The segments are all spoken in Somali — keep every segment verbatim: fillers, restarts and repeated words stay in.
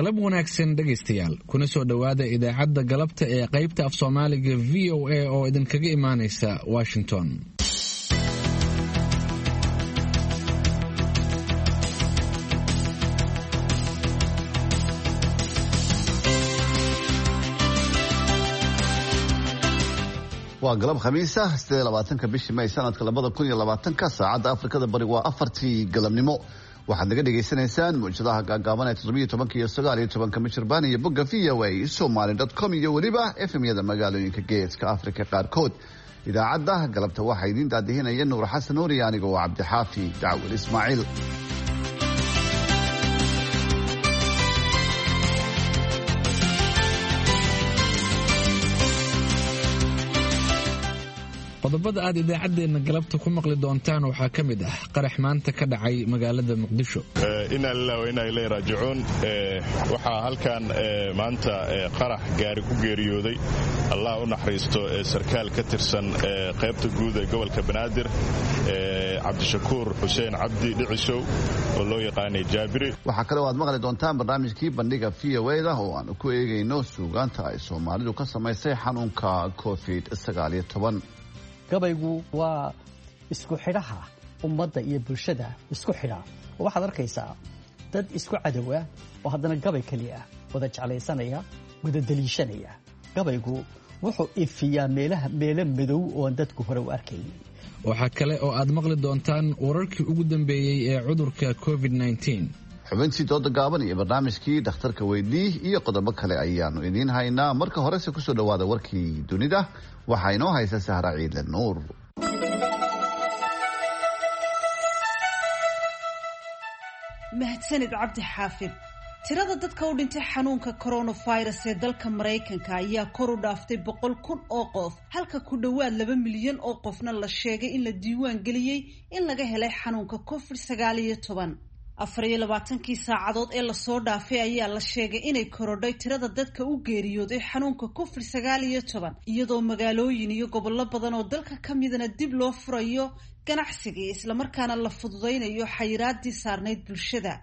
Galab wanaagsan dhegaystayaal, kuna soo dhowaada idaacadda galabta ee qaybta af Soomaaliga V O A oo idinkaga imaanaysa Washington. Waa galab Khamiisa, siddeed labaatanka bishii May sanadka labada kun iyo labaatanka. Saacadda Afrikada Bari waa afartii galabnimo. Waxaad naga dhagaysanaysaan mawjadaha gaagaaban ee toddobiyo tobanka iyo sagaal iyo tobanka mitirban iyo bogga V O A Somaly dot com iyo weliba F M-yada magaalooyinka Geeska Afrika qaarkood. Idaacadda galabta waxaa idiin daadihinaya Nuur Xasan Nuur iyo aniga oo Cabdixaafi Dacwel Ismaaciil. Qodobada aad idaacaddeenna galabta ku maqli doontaan waxaa ka mid ah qarax maanta ka dhacay magaalada Muqdisho. Inaa lilah wa inaa ilayhi raajicuun. Waxaa halkan maanta qarax gaari ku geeriyooday, Allah u naxariisto, sarkaal ka tirsan qaybta guud ee gobolka Banaadir, Cabdishakuur Xuseen Cabdi Dhicisow oo loo yaqaanay Jaabiri. Waxaa kale oo aad maqli doontaan barnaamijkii Bandhiga V O A da oo aanu ku eegayno suugaanta ay Soomaalidu ka samaysay xanuunka Covid sagaal iyo toban. Gabaygu waa isku xidhaha ummadda iyo bulshada isku xidha, oo waxaad arkaysaa dad isku cadowa oo haddana gabay keliya wada jeclaysanaya, wada daliishanaya. Gabaygu wuxuu ifiyaa meelaha meelo madow ooan dadku hore u arkaynin. Waxaa kale oo aad maqli doontaan wararkii ugu dambeeyey ee cudurka Covid nineteen. Xubintii dooda gaaban iyo barnaamijkii Dhakhtarka Weydii iyo qodobo kale ayaanu idiin haynaa. Marka horese kusoo dhowaada warkii dunida. Waxaa inoo haysa Sahra Ciidle Nuur. Mahadsanid, Cabdi Xaafid. Tirada dadka u dhintay xanuunka coronavirus ee dalka Maraykanka ayaa kor u dhaaftay boqol kun oo qof, halka ku dhowaad laba milyan oo qofna la sheegay in la diiwaan geliyey in laga helay xanuunka Covid sagaal iyo toban. Afar iyo labaatankii saacadood ee lasoo dhaafay ayaa la sheegay inay korodhay tirada dadka u geeriyooday xanuunka Covid sagaal iyo toban, iyadoo magaalooyin iyo gobollo badan oo dalka ka midana dib loo furayo ganacsigii, islamarkaana la fududaynayo xayiraadii saarnayd bulshada.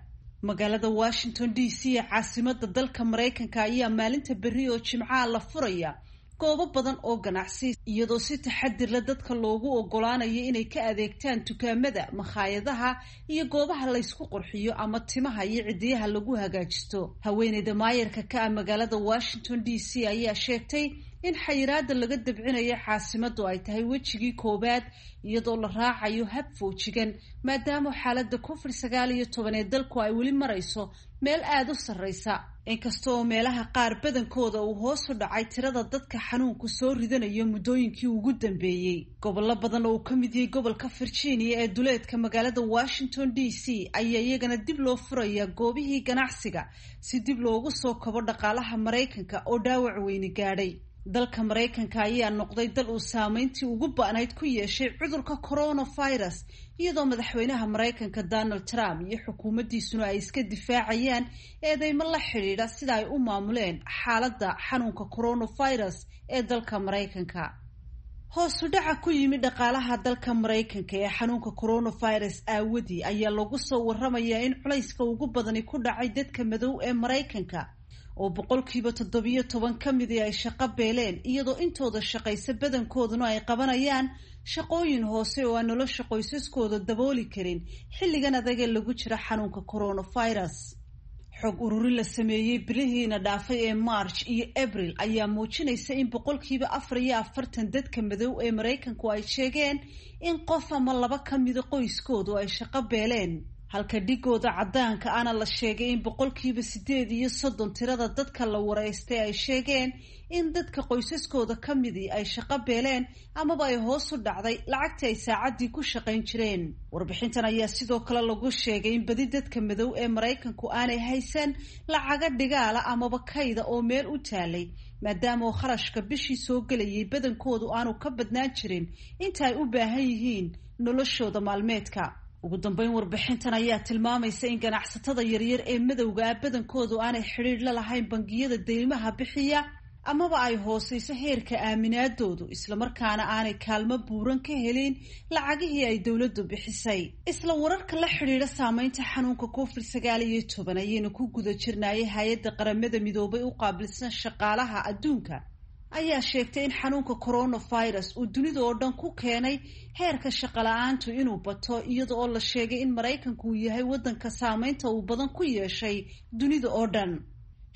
Magaalada Washington D C ee caasimada dalka Maraykanka ayaa maalinta berri oo Jimcaha la furaya goobo badan oo ganacsi, iyadoo si taxadir la dadka loogu ogolaanayo inay ka adeegtaan dukaamada, makhaayadaha iyo goobaha laysku qurxiyo ama timaha iyo cidiyaha lagu hagaajisto. Haweeneyda maayarka ka ah magaalada Washington D C ayaa sheegtay in xayiraada laga dabcinayo caasimadu ay tahay wejigii koowaad, iyadoo la raacayo hab foojigan, maadaama xaalada Covid sagaal iyo toban ee dalku ay weli marayso meel aada u sarreysa, inkasta oo meelaha qaar badankooda uu hoos u dhacay tirada dadka xanuunku soo ridanayo muddooyinkii ugu dambeeyey. Gobollo badan oo uu ka mid yahay gobolka Virginia ee duleedka magaalada Washington D C ayaa iyagana dib loo furayaa goobihii ganacsiga, si dib loogu soo kabo dhaqaalaha Maraykanka oo dhaawac weyni gaadhay. Dalka Maraykanka ayaa noqday dal uu saameyntii ugu ba'nayd ku yeeshay cudurka coronavirus, iyadoo madaxweynaha Maraykanka Donald Trump iyo xukuumaddiisuna ay iska difaacayaan eedeymo la xidhiidha sida ay u maamuleen xaaladda xanuunka coronavirus ee dalka Maraykanka. Hoosu dhaca ku yimi dhaqaalaha dalka Maraykanka ee xanuunka coronavirus aawadii ayaa lagu soo waramayaa in culayska ugu badani ku dhacay dadka madow ee Maraykanka, oo boqolkiiba toddobiyo toban ka midii ay shaqo beeleen, iyadoo intooda shaqaysa badankooduna ay qabanayaan shaqooyin hoose oo aan nolosha qoysaskooda dabooli karin xilligan adagee lagu jira xanuunka coronavirus. Xog ururin la sameeyey bilihiina dhaafay ee March iyo Abril ayaa muujinaysa in boqolkiiba afar iyo afartan dadka madow ee Maraykanku ay sheegeen in qof ama laba ka mida qoyskoodu ay shaqo beeleen, halka dhigooda caddaanka ana la sheegay in boqolkiiba sideed iyo soddon tirada dadka la wareystay ay sheegeen in dadka qoysaskooda ka midii ay shaqo beeleen amaba ay hoos u dhacday lacagtii ay saacaddii ku shaqayn jireen. Warbixintan ayaa sidoo kale lagu sheegay in badi dadka madow ee Maraykanku aanay haysan lacaga dhigaala amaba kayda oo meel u taalay, maadaama oo kharashka bishii soo gelayay badankoodu aanu ka badnaan jirin inta ay u baahan yihiin noloshooda maalmeedka. Ugu dambeyn, warbixintan ayaa tilmaamaysa in ganacsatada yaryar ee madowga ah badankoodu aanay xidhiidh la lahayn bangiyada deymaha bixiya amaba ay hooseyso heerka aaminaadoodu, islamarkaana aanay kaalmo buuran ka helin lacagihii ay dowladdu bixisay. Isla wararka la xidhiidha saameynta xanuunka covid sagaal iyo toban ayaynu ku guda jirnaayay. Hay-adda Qaramada Midoobay u qaabilsan shaqaalaha adduunka ayaa sheegtay in xanuunka coronavirus uu dunida oo dhan ku keenay heerka shaqala-aantu inuu bato, iyada oo la sheegay in Maraykanku uu yahay waddanka saameynta uu badan ku yeeshay dunida oo dhan.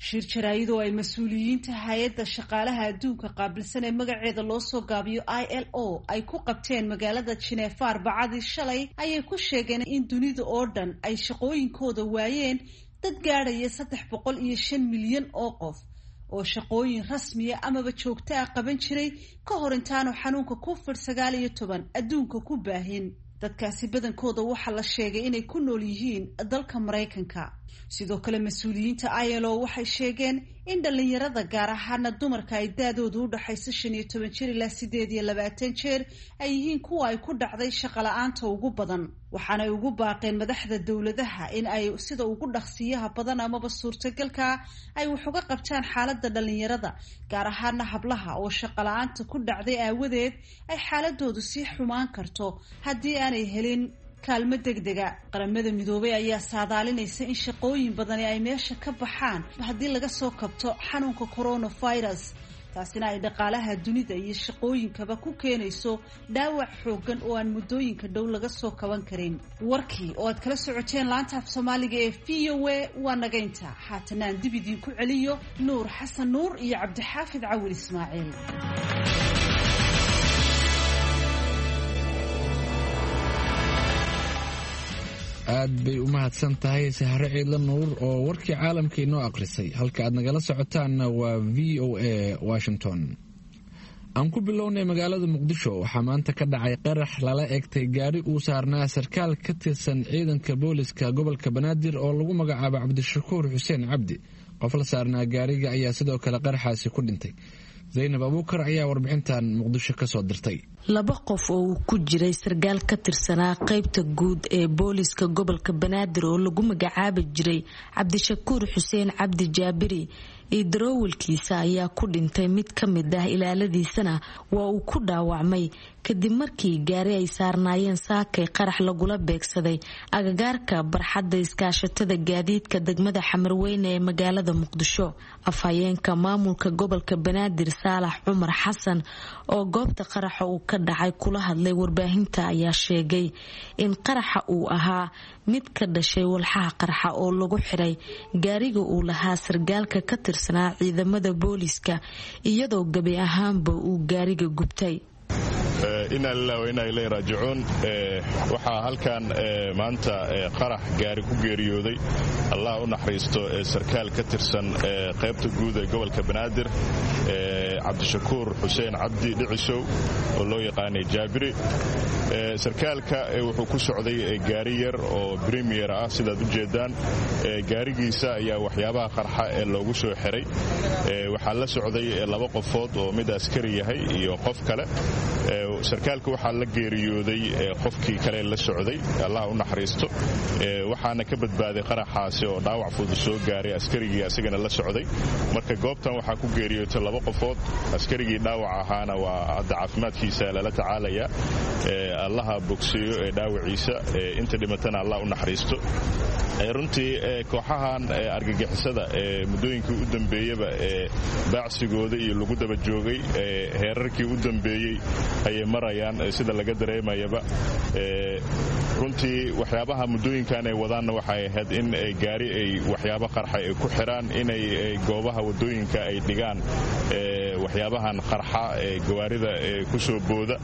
Shir jaraayadoo ay mas-uuliyiinta hay-adda shaqaalaha adduunka qaabilsan ee magaceeda loo soo gaabiyo I L O ay ku qabteen magaalada Jineefa arbacadii shalay ayay ku sheegeen in dunida oo dhan ay shaqooyinkooda waayeen dad gaadhaya saddex boqol iyo shan milyan oo qof oo shaqooyin rasmiya amaba joogto ah qaban jiray ka hor intaanu xanuunka covid sagaal iyo toban adduunka ku baahin. Dadkaasi badankooda waxaa la sheegay inay ku nool yihiin dalka Maraykanka. Sidoo kale mas-uuliyiinta I L O waxay sheegeen in dhalinyarada, gaar ahaana dumarka ay da-doodu u dhaxayso shan iyo toban jir ilaa sideed iyo labaatan jeer, ay yihiin kuwa ay ku dhacday shaqala-aanta ugu badan. Waxaanay ugu baaqeen madaxda dowladaha in ay sida ugu dhaqsiyaha badan amaba suurtagalka ay wax uga qabtaan xaaladda dhalinyarada, gaar ahaana hablaha oo shaqala-aanta ku dhacday aawadeed ay xaaladoodu sii xumaan karto haddii aanay helin kaalmo degdega. Qaramada Midoobay ayaa saadaalinaysa in shaqooyin badani ay meesha ka baxaan haddii laga soo kabto xanuunka coronavirus, taasina ay dhaqaalaha dunida iyo shaqooyinkaba ku keenayso dhaawac xooggan oo aan muddooyinka dhow laga soo kaban karin. Warkii oo aad kala socoteen laanta af Soomaaliga ee V O A waa nagaynta. Haatana aan dib idiinku celiyo Nuur Xasan Nuur iyo Cabdixaafid Cawil Ismaaciil. Aad bay u mahadsan tahay Sahre Ciidla Nuur oo warkii caalamka inoo akhrisay. Halka aad nagala socotaanna waa V O A Washington. Aan ku bilownay magaalada Muqdisho. Waxaa maanta ka dhacay qarax lala egtay gaari uu saarnaa sarkaal ka tirsan ciidanka booliska gobolka Banaadir oo lagu magacaabo Cabdishakuur Xuseen Cabdi. Qof la saarnaa gaariga ayaa sidoo kale qaraxaasi ku dhintay. Zaynab Abuukar ayaa warbixintan Muqdisho ka soo dirtay. Laba qof oo uu ku jiray sarkaal ka tirsanaa qaybta guud ee booliska gobolka Banaadir oo lagu magacaabi jiray Cabdishakuur Xuseen Cabdi Jaabiri iyo daroowalkiisa ayaa ku dhintay, mid ka mid ah ilaaladiisana waa uu ku dhaawacmay kadib markii gaari ay saarnaayeen saakay qarax lagula beegsaday agagaarka barxadda iskaashatada gaadiidka degmada Xamarweyne ee magaalada Muqdisho. Afhayeenka maamulka gobolka Banaadir Saalax Cumar Xasan oo goobta qaraxa uu ka dhacay kula hadlay warbaahinta ayaa sheegay in qaraxa uu ahaa mid ka dhashay walxaha qarxa oo lagu xiray gaariga uu lahaa sargaalka ka tirsanaa ciidamada booliska, iyadoo gebi ahaanba uu gaariga gubtay. Inaa lilah wa inaa ilayhi raajicuun. Waxaa halkan maanta qarax gaari ku geeriyooday, Allah u naxariisto, sarkaal ka tirsan qaybta guud ee gobolka Banaadir, Cabdishakuur Xuseen Cabdi Dhicisow oo loo yaqaanay Jaabiri. Sarkaalka wuxuu ku socday gaari yar oo bremier ah, sidaad u jeedaan. Gaarigiisa ayaa waxyaabaha qarxa ee loogu soo xiray. Waxaa la socday laba qofood oo mid askari yahay iyo qof kale. Sarkaalka waxaa la geeriyooday qofkii kale la socday, Allah u naxariisto. Waxaana ka badbaaday qaraxaasi oo dhaawac fudud soo gaaray askarigii asagana la socday. Marka goobtan waxaa ku geeriyootay laba qofood, askarigii dhaawac ahaana waa hadda caafimaadkiisa lala tacaalaya. Allaha bogsiiyo ee dhaawaciisa, inta dhimatana Allah u naxariisto. Runtii kooxahan argagixisada ee muddooyinkii u dambeeyaba ee baacsigooda iyo lagu daba joogay heerarkii u dambeeyey ayay marayaan sida laga dareemayaba. Runtii waxyaabaha muddooyinkan ay wadaanna waxay ahayd in gaari ay waxyaabo qarxa ay ku xiraan, inay goobaha waddooyinka ay dhigaan waxyaabahan qarxa ee gawaarida ee ku soo booda.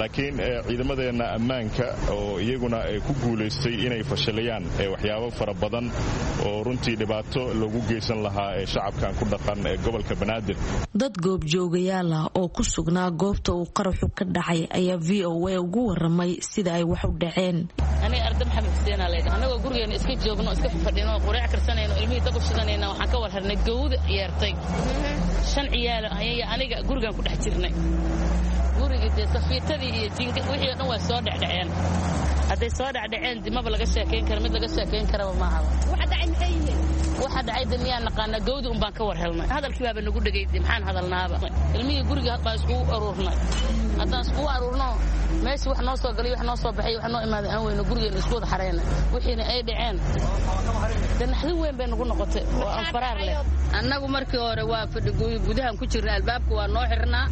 Laakiin ciidamadeenna ammaanka oo iyaguna ay ku guulaystay inay fashilayaan waxyaabo fara badan oo runtii dhibaato loogu geysan lahaa ee shacabkan ku dhaqan ee gobolka Banaadir. Dad goobjoogayaal ah oo ku sugnaa goobta uu qaraxu ka dhacay ayaa V O A ugu waramay sida ay wax u dhaceen. Aniga Arda Maxamed Xuseen aa leedahay. Anagoo gurigeena iska joogno, iska fadhino, quraac karsanayno, ilmihii dab u shidanayna, waxaan ka war harnay gawda ciyaartay. Shan ciyaal ayay aniga gurigan ku dhex jirnay. Guriga Gurigii dee safiitadii iyo jiinka wixii oo dhan waa soo dhecdheceen. Hadday soo dhecdheceen dimaba laga sheekayn kara, mid laga sheekayn karaba maahaba. Waxa dhacay maxay yihiin? Waxa dhacay de miyaan naqaanaa, gawdi un baan ka war helnay. Hadalkii baaba nagu dhegay, de maxaan hadalnaaba. Ilmihii guriga baan iskugu aruurnay. Haddaan iskugu aruurno meeshii wax noo soo galay, wax noo soo baxay, wax noo imaaday aan weyno, gurigeena isku wada xareynay. Wixiina ay dhaceen de naxdin weyn bay nagu noqotay oo aan faraar leh. Annagu markii hore waa fadhi gudahan ku jirna, albaabka waa noo xirnaa.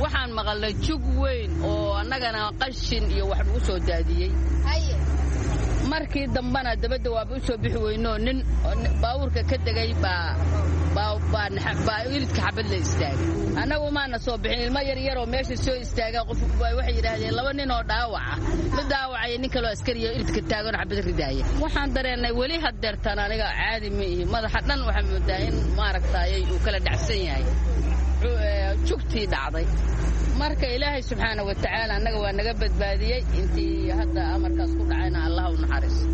Waxaan maqalnay jug weyn oo annagana qashin iyo wax lagu soo daadiyey. Markii dambana dabadda waaba u soo bixi weynoo nin baabuurka ka degay baa baa ilidka xabad la istaagay. Annagu maana soo bixin, ilmo yaryaroo meesha soo istaaga qof waxay yidhaahdeen laba nin oo dhaawaca, mid dhaawacaya nin kaloo askariya ilidka taagan xabad ridaaya. Waxaan dareennay weli haddeertaan aniga caadi ma ihi, madaxa dhan waxaa moodaa in maaragtaayay uu kala dhacsan yahay jugtii dhacday. Marka ilaahay subxaana wa tacaala annaga waa naga badbaadiyey, intii hadda amarkaas ku dhacayna allah u naxariiso.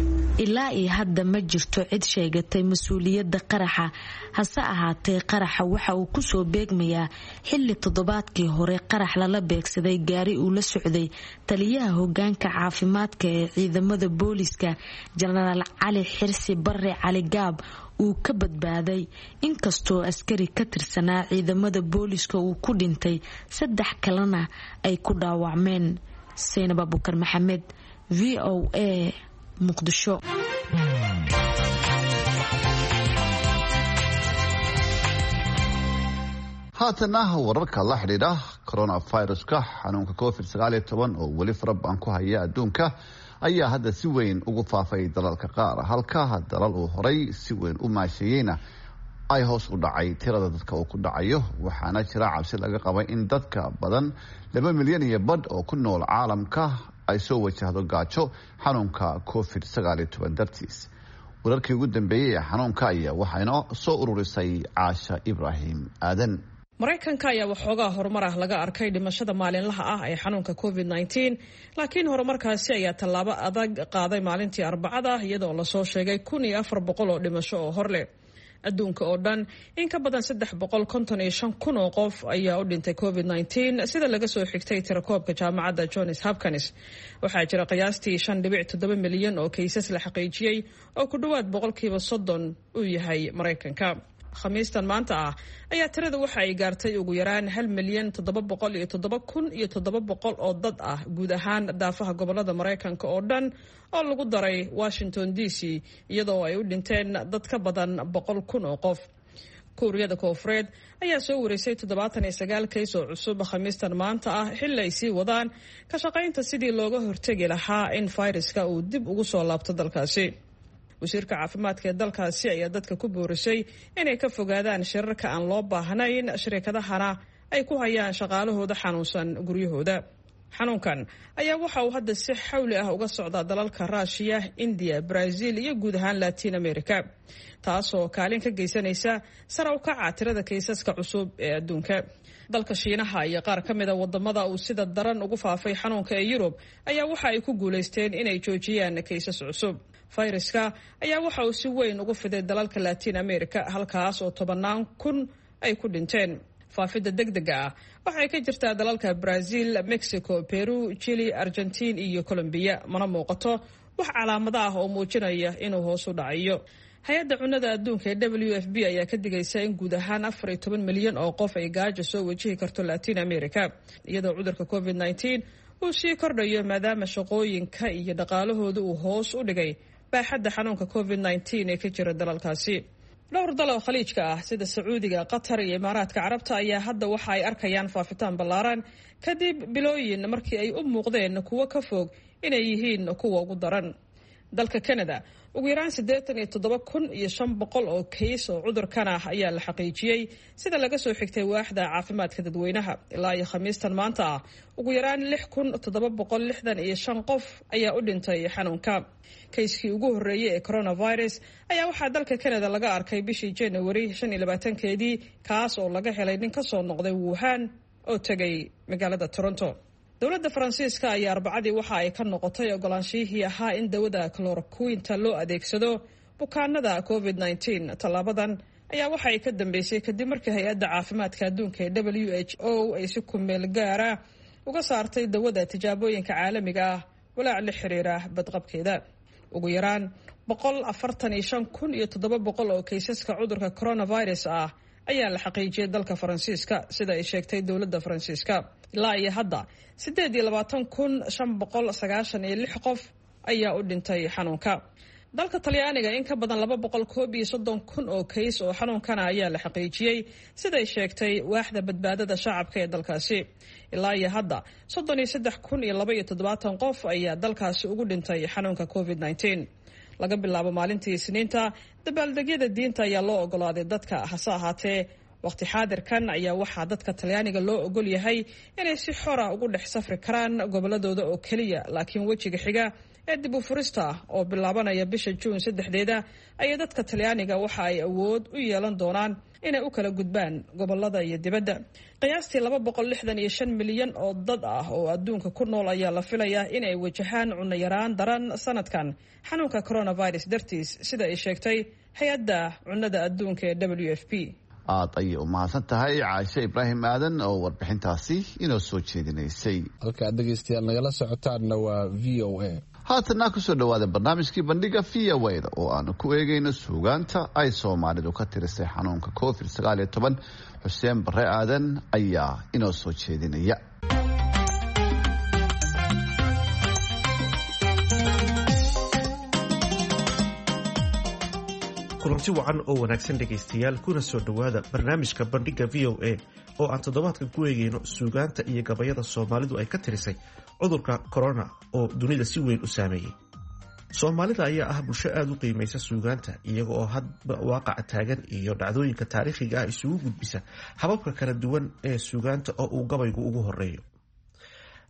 Ilaa iyo hadda ma jirto cid sheegatay mas-uuliyadda qaraxa, hase ahaatee qaraxa waxa uu kusoo beegmayaa xilli toddobaadkii hore qarax lala beegsaday gaari uu la socday taliyaha hogaanka caafimaadka ee ciidamada booliska Jenaraal Cali Xirsi Barre Cali Gaab uu ka badbaaday, inkastoo askari ka tirsanaa ciidamada booliska uu ku dhintay, saddex kalena ay ku dhaawacmeen. Seynab Abukar Maxamed, V O A, Muqdisho. Haatana wararka la xidhiidha coronaviruska, xanuunka covid sagaal iyo toban oo weli farabadan ku haya adduunka ayaa hadda si weyn ugu faafay dalalka qaar, halka dalal uu horay si weyn u maasheeyeyna ay hoos u dhacay tirada dadka uu ku dhacayo. Waxaana jira cabsi laga qabay in dadka badan laba milyan iyo badh oo ku nool caalamka ay soo wajahdo gaajo xanuunka covid sagaal iyo toban dartiis. Wararkii ugu dambeeyey ee xanuunka ayaa waxaa inoo soo ururisay Caasha Ibraahim Aadan. Maraykanka ayaa waxoogaa horumar ah laga arkay dhimashada maalinlaha ah ee xanuunka covid nineteen, laakiin horumarkaasi ayaa tallaabo adag qaaday maalintii Arbacada, iyadoo lasoo sheegay kun iyo afar boqol oo dhimasho oo hor leh. Adduunka oo dhan in ka badan saddex boqol konton iyo shan kun oo qof ayaa u dhintay covid nineteen, sida laga soo xigtay tirakoobka jaamacadda Johns Hopkins. Waxaa jira qiyaastii shan dhibic toddoba milyan oo kaysas la xaqiijiyey oo ku dhowaad boqolkiiba soddon uu yahay Maraykanka. Khamiistan maanta ah ayaa tirada waxa ay gaartay ugu yaraan hal milyan toddoba boqol iyo toddoba kun iyo toddoba boqol oo dad ah guud ahaan daafaha gobolada Maraykanka oo dhan oo lagu daray Washington D C, iyadoo ay u dhinteen dad ka badan boqol kun oo qof. Kuuriyada Koonfureed ayaa soo wareysay toddobaatan iyo sagaal kays oo cusub khamiistan maanta ah, xilli ay sii wadaan ka shaqaynta sidii looga hortegi lahaa in fayraska uu dib ugu soo laabto dalkaasi. Wasiirka caafimaadka ee dalkaasi ayaa dadka ku boorisay inay ka fogaadaan shirarka aan loo baahnayn, shirkadahana ay ku hayaan shaqaalahooda xanuunsan guryahooda. Xanuunkan ayaa waxa uu hadda si xawli ah uga socdaa dalalka Raashiya, Indiya, Brazil iyo guud ahaan Latin America, taasoo kaalin ka geysanaysa sare u kaca tirada kaysaska cusub ee adduunka. Dalka Shiinaha iyo qaar ka mida wadamada uu sida daran ugu faafay xanuunka ee Yurub ayaa waxa ay ku guulaysteen inay joojiyaan kaysas cusub. Fayraska ayaa waxa uu si weyn ugu fiday dalalka Latin America, halkaas oo tobannaan kun ay ku dhinteen. Faafidda degdega ah waxay ka jirtaa dalalka Brazil, Mexico, Peru, Chile, Argentine iyo Colombia. Mana muuqato wax calaamado ah oo muujinaya inuu hoos u dhacayo. Hay-adda cunnada adduunka ee W F B ayaa ka digaysa in guud ahaan afar iyo toban milyan oo qof ay gaajo soo wajihi karto Latin America, iyadoo cudurka covid nineteen uu sii kordhayo maadaama shaqooyinka iyo dhaqaalahooda uu hoos u dhigay baaxadda xanuunka covid nineteen ee ka jira dalalkaasi. Dhowr dal oo khaliijka ah sida Sacuudiga, Qatar iyo Imaaraadka Carabta ayaa hadda waxa ay arkayaan faafitaan ballaaran kadib bilooyin markii ay u muuqdeen kuwo ka fog inay yihiin kuwa ugu daran. Dalka Canada ugu yaraan siddeetan iyo toddoba kun iyo shan boqol oo kays oo cudurkan ah ayaa la xaqiijiyey, sida laga soo xigtay waaxda caafimaadka dadweynaha. Ilaa iyo khamiistan maanta ah ugu yaraan lix kun toddoba boqol lixdan iyo shan qof ayaa u dhintay xanuunka. Kayskii ugu horreeyey ee coronavirus ayaa waxaa dalka Canada laga arkay bishii January shan iyo labaatankeedii, kaas oo laga helay nin ka soo noqday Wuhan oo tegay magaalada Toronto. Dowladda Faransiiska ayaa Arbacadii waxa ay ka noqotay ogolaanshihii ahaa in dawada chloroquinta loo adeegsado bukaanada covid nineteen. Tallaabadan ayaa waxa ay ka dambeysay kadib markii hay-adda caafimaadka adduunka ee W H O ay si ku meel gaara uga saartay dawada tijaabooyinka caalamiga ah walaac la xiriira badqabkeeda. Ugu yaraan boqol afartan iyo shan kun iyo toddoba boqol oo kaysaska cudurka coronavirus ah ayaa la xaqiijiyay dalka Faransiiska, sida ay sheegtay dowladda Faransiiska. Ilaa iyo hadda siddeed iyo labaatan kun shan boqol sagaashan iyo lix qof ayaa u dhintay xanuunka. Dalka Talyaaniga in ka badan laba boqol koob iyo soddon kun oo kays oo xanuunkana ayaa la xaqiijiyey, siday sheegtay waaxda badbaadada shacabka ee dalkaasi. Ilaa iyo hadda soddon iyo saddex kun iyo laba iyo toddobaatan qof ayaa dalkaasi ugu dhintay xanuunka covid nineteen. Laga bilaabo maalintii Isniinta, dabaaldegyada diinta ayaa loo ogolaaday dadka, hase ahaatee waqti xaadirkan ayaa waxaa dadka Talyaaniga loo ogol yahay inay si xora ugu dhex safri karaan goboladooda oo keliya, laakiin wejiga xiga ee dib u furista oo bilaabanaya bisha Juun saddexdeeda ayaa dadka Talyaaniga waxa ay awood u yeelan doonaan inay u kala gudbaan gobolada iyo dibadda. Qiyaastii laba boqol lixdan iyo shan milyan oo dad ah oo adduunka ku nool ayaa la filayaa inay wajahaan cunno yaraan daran sanadkan xanuunka coronavirus dartiis, sida ay sheegtay hay-adda cunnada adduunka ee W F P. Aad ayay u mahadsan tahay Caashe Ibraahim Aadan oo warbixintaasi inoo soo jeedinaysay. Halka aad dhegeystayaal nagala socotaanna waa V O A. Haatanna kusoo dhawaada barnaamijkii bandhiga V O A-da oo aanu ku eegayno suugaanta ay Soomaalidu ka tirisay xanuunka covid sagaal iyo toban. Xuseen Bare Aadan ayaa inoo soo jeedinaya. Kulanti wacan oo wanaagsan dhegaystayaal, kuna soo dhowaada barnaamijka bandhiga V O A oo aan toddobaadkan ku eegayno suugaanta iyo gabayada Soomaalidu ay ka tirisay cudurka corona oo dunida si weyn u saameeyey. Soomaalida ayaa ah bulsho aada u qiimaysa suugaanta, iyaga oo hadba waaqaca taagan iyo dhacdooyinka taariikhiga ah isugu gudbisa hababka kala duwan ee suugaanta oo uu gabaygu ugu horeeyo.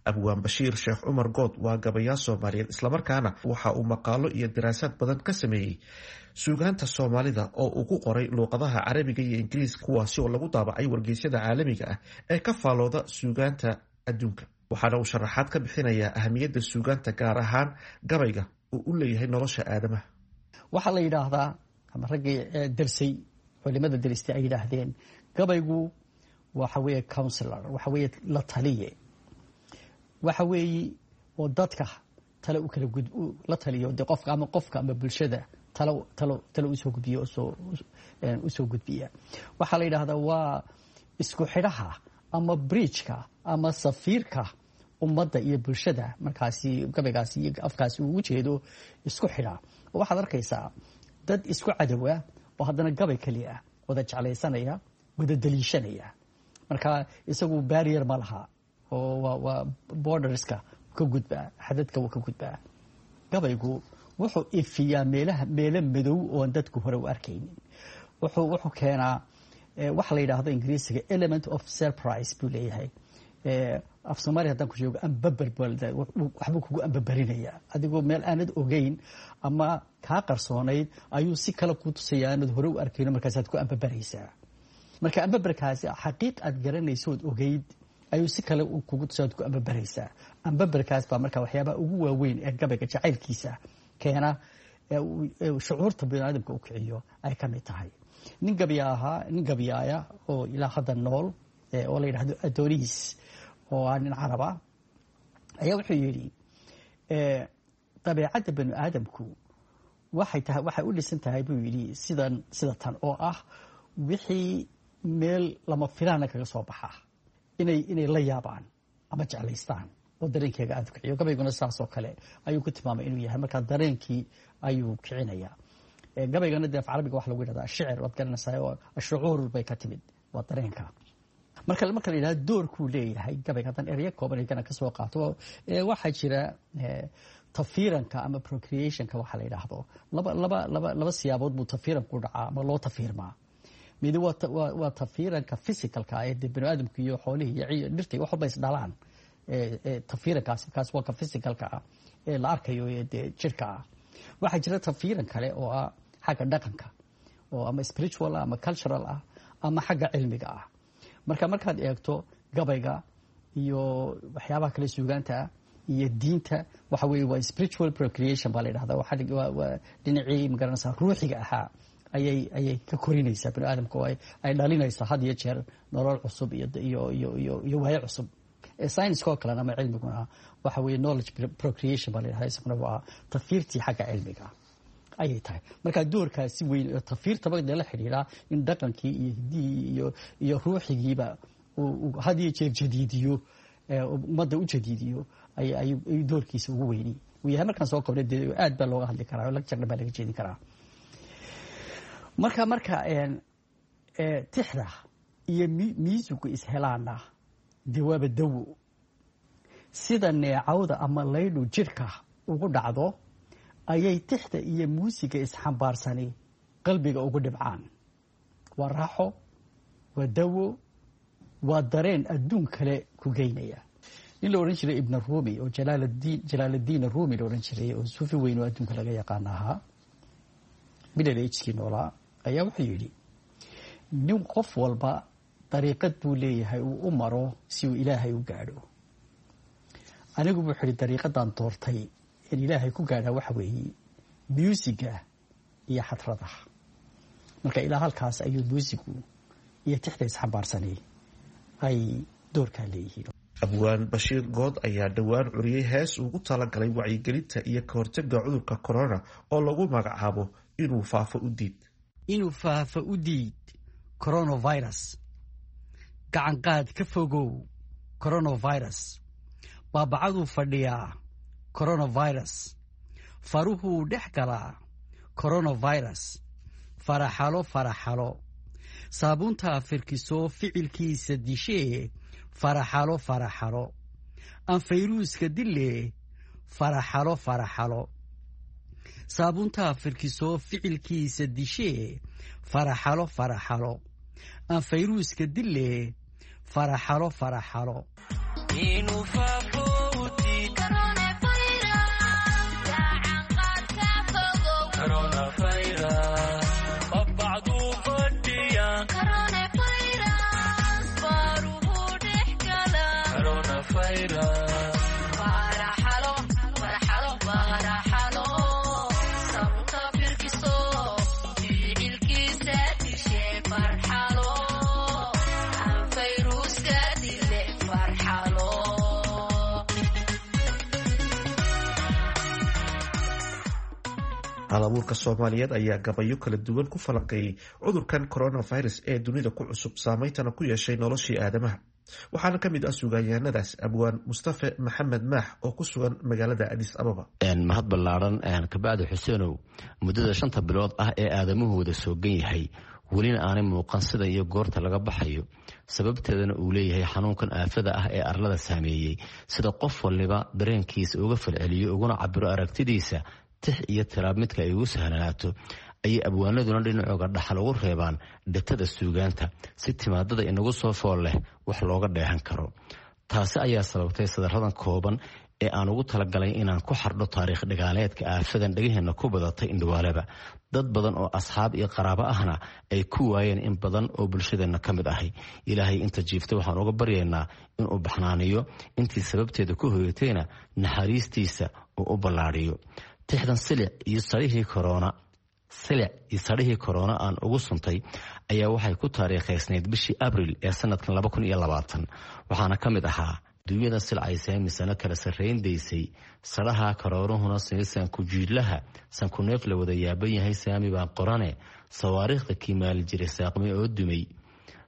Abwaan Bashiir Sheekh Cumar Good waa gabayaa Soomaaliyeed, islamarkaana waxa uu maqaalo iyo daraasaad badan ka sameeyey suugaanta Soomaalida oo uu ku qoray luuqadaha Carabiga iyo Ingiriiska, kuwaasi oo lagu daabacay wargeysyada caalamiga ah ee ka faalooda suugaanta adduunka. Waxaana uu sharaxaad ka bixinayaa ahamiyadda suugaanta, gaar ahaan gabayga, uu u leeyahay nolosha aadamaha. Waxaa la yidhaahdaa, ama raggii darsay, culimada daristay ay yidhaahdeen, gabaygu waxa weeye counselor, waxa weeye la taliye, waxa weeye oo dadka tale u kala gud la taliyo, dee qofka ama qofka ama bulshada talo talo talo usoo gudbiya, usoo usoo gudbiya. Waxaa la yidhaahdaa waa isku xidhaha ama bridgeka ama safiirka ummadda iyo bulshada, markaasi gabaygaasi iyo afkaasi uu ujeedo isku xidha. Oo waxaad arkaysaa dad isku cadowa oo haddana gabay keliya ah wada jeclaysanaya, wada daliishanaya. Marka isagu barrier ma laha, oo waa waa borderska ka gudbaa, xadadka wuu ka gudbaa. Gabaygu wuxuu ifiyaa meelaha meelo madow oon dadku hore u arkaynin. Wuxuu wuxuu keenaa waxa la yidhaahdo Ingiriisiga element of surprise buu leeyahay. Af Soomaaliya haddaan ku sheego, ambaber, waxbuu kugu ambabarinayaa adigoo meel aanad ogeyn ama kaa qarsoonayd ayuu si kale kuu tusaya aanad hore u arkayno, markaasaad ku ambabaraysaa. Marka ambabarkaasi xaqiiq aad garanayso ood ogeyd ayuu si kale kugu tusa, aad ku ambabaraysaa. Ambabarkaas baa marka waxyaabaha ugu waaweyn ee gabayga jacaylkiisa keena, shucuurta biniaadamka u kiciyo ay ka mid tahay. Nin gabya ahaa, nin gabyaaya oo ilaa hadda nool oo la yidhahdo Adonis, oo ah nin caraba, ayaa wuxuu yidhi dabeecadda bani aadamku waxay tahay, waxay u dhisan tahay buu yidhi sidan sida tan oo ah wixii meel lama filaana kaga soo baxa inay inay la yaabaan ama jeclaystaan oo dareenkeega aada kiciyo. Gabayguna saas oo kale ayuu ku tilmaamay inuu yahay, markaa dareenkii ayuu kicinayaa. Gabaygana dee af Carabiga waxa lagu yidhahdaa shicir, waad garanaysaa, oo shucuur bay ka timid, waa dareenka. Marka marka la yidhahdo doorkuu leeyahay gabayga, haddaan ereyo kooban igana kasoo qaato, waxaa jira tafiiranka ama procreationka waxa la yidhaahdo. Laba laba laba laba siyaabood buu tafiiranku dhacaa ama loo tafiirmaa. Midi waa waa tafiiranka physicalka ee dee bani aadamku iyo xoolihii iyo dhirta iyo wax walba is dhalaan. Tafiirankaasi kaas waa ka physicalka ah ee la arkayo ee dee jirka ah. Waxaa jira tafiiran kale oo ah xagga dhaqanka, oo ama spiritual ah ama cultural ah ama xagga cilmiga ah. Marka markaad eegto gabayga iyo waxyaabaha kale suugaanta ah iyo diinta, waxa weeye waa spiritual procreation baa la yidhahdaa. Waa dhinacii magaranaysaa ruuxiga ahaa ayay ayay ka korinaysaa bani aadamka, oo ay dhalinaysaa had iyo jeer nolol cusub iyo iyo iyo iyo iyo waayo cusub. Science oo kalena ama cilmiguna waxa weeye knowledge procreation baa la yidhahdaa, isaguna waa tafiirtii xagga cilmiga ayay tahay. Marka doorkaasi weyn oo tafiirtaba dee la xidhiidhaa in dhaqankii iyo hiddihii iyo iyo ruuxigiiba uu had iyo jeer jadiidiyo, ummadda u jadiidiyo, ayuu doorkiisa ugu weyni uu yahay. Markaan soo koobnay dee aad baa looga hadli karaa oo lecture dhan baa laga jeedin karaa. Marka marka tixda iyo miisugu ishelaana dee waaba dawo. Sida neecawda ama laydhu jidhka ugu dhacdo ayay tixda iyo muusiga isxambaarsani qalbiga ugu dhibcaan. Waa raaxo, waa dawo, waa dareen adduun kale ku geynaya. Nin la odhan jiray Ibn Rumi oo Jalaaladiin Jalaaladiin Rumi la odhan jiray oo suufi weyn oo adduunka laga yaqaan ahaa, middle agekii noolaa, ayaa wuxuu yidhi nin qof walba dariiqad buu leeyahay uu u maro si uu Ilaahay u gaadho. Anigu buu xidhi dariiqadan doortay in Ilaahay ku gaadhaa waxa weeye muusiga iyo xadrada. Marka ilaa halkaas ayuu muusigu iyo tixda isxambaarsanay ay doorkaa leeyihiin. Abwaan Bashiir Good ayaa dhowaan curiyey hees ugu talagalay wacyigelinta iyo ka hortagga cudurka corona oo lagu magacaabo Inuu Faafo u Diid. Inuu faafo u diid coronavirus, gacanqaad ka fogow coronavirus, baabacaduu fadhiyaa coronavirus, faruhuu dhex galaa coronavirus, faraxalo faraxalo, saabuuntaa firkisoo ficilkiisa dishee, faraxalo faraxalo, aan fayruuska dille, faraxalo faraxalo, saabuuntaa firkisoo ficilkiisa dishee, faraxalo faraxalo, aan fayruuska dille, faraxalo faraxalo. Halabuurka Soomaaliyeed ayaa gabayo kala duwan ku falanqeeyey cudurkan coronavirus ee dunida ku cusub, saameyntana ku yeeshay noloshii aadamaha. Waxaana ka mid ah sugaanyahanadaas Abwaan Mustafe Maxamed Maax oo ku sugan magaalada Adis Ababa. Mahad ballaaran kabacdi, Xuseenow, muddada shanta bilood ah ee aadamuhu wada soogan yahay, welina aanay muuqan sida iyo goorta laga baxayo, sababteedana uu leeyahay xanuunkan aafada ah ee arlada saameeyey, sida qof waliba dareenkiisa uga falceliyo uguna cabiro aragtidiisa tix iyo tiraab midka ay ugu sahlanaato, ayay abwaanaduna dhinacooga dhaxal ugu reebaan dhatada suugaanta si timaadada inagu soo fool leh wax looga dheehan karo. Taasi ayaa sababtay sadaradan kooban ee aan ugu talagalay inaan ku xardho taariikh dhagaaleedka aafadan dhegaheenna ku badatay indhawaalaba, dad badan oo asxaab iyo qaraabo ahna ay ku waayeen in badan oo bulshadeenna ka mid ahay. Ilaahay inta jiifta waxaan uga baryaynaa inuu baxnaaniyo, intii sababteeda ku hoyatayna naxariistiisa uu u ballaadhiyo. Tixdan silic iyo sarihii korona silic iyo sarihii korona aan ugu suntay ayaa waxay ku taariikhaysnayd bishii Abril ee sanadkan laba kun iyo labaatan. Waxaana ka mid ahaa: dunyada silcaysee misano kala sarrayn daysay, sadhaha karooruhuna sinisan kujiidlaha sankuneef la wada yaaban yahay, saami baan qorane, sawaariikhda kiimaali jiray saaqmay oo dumay,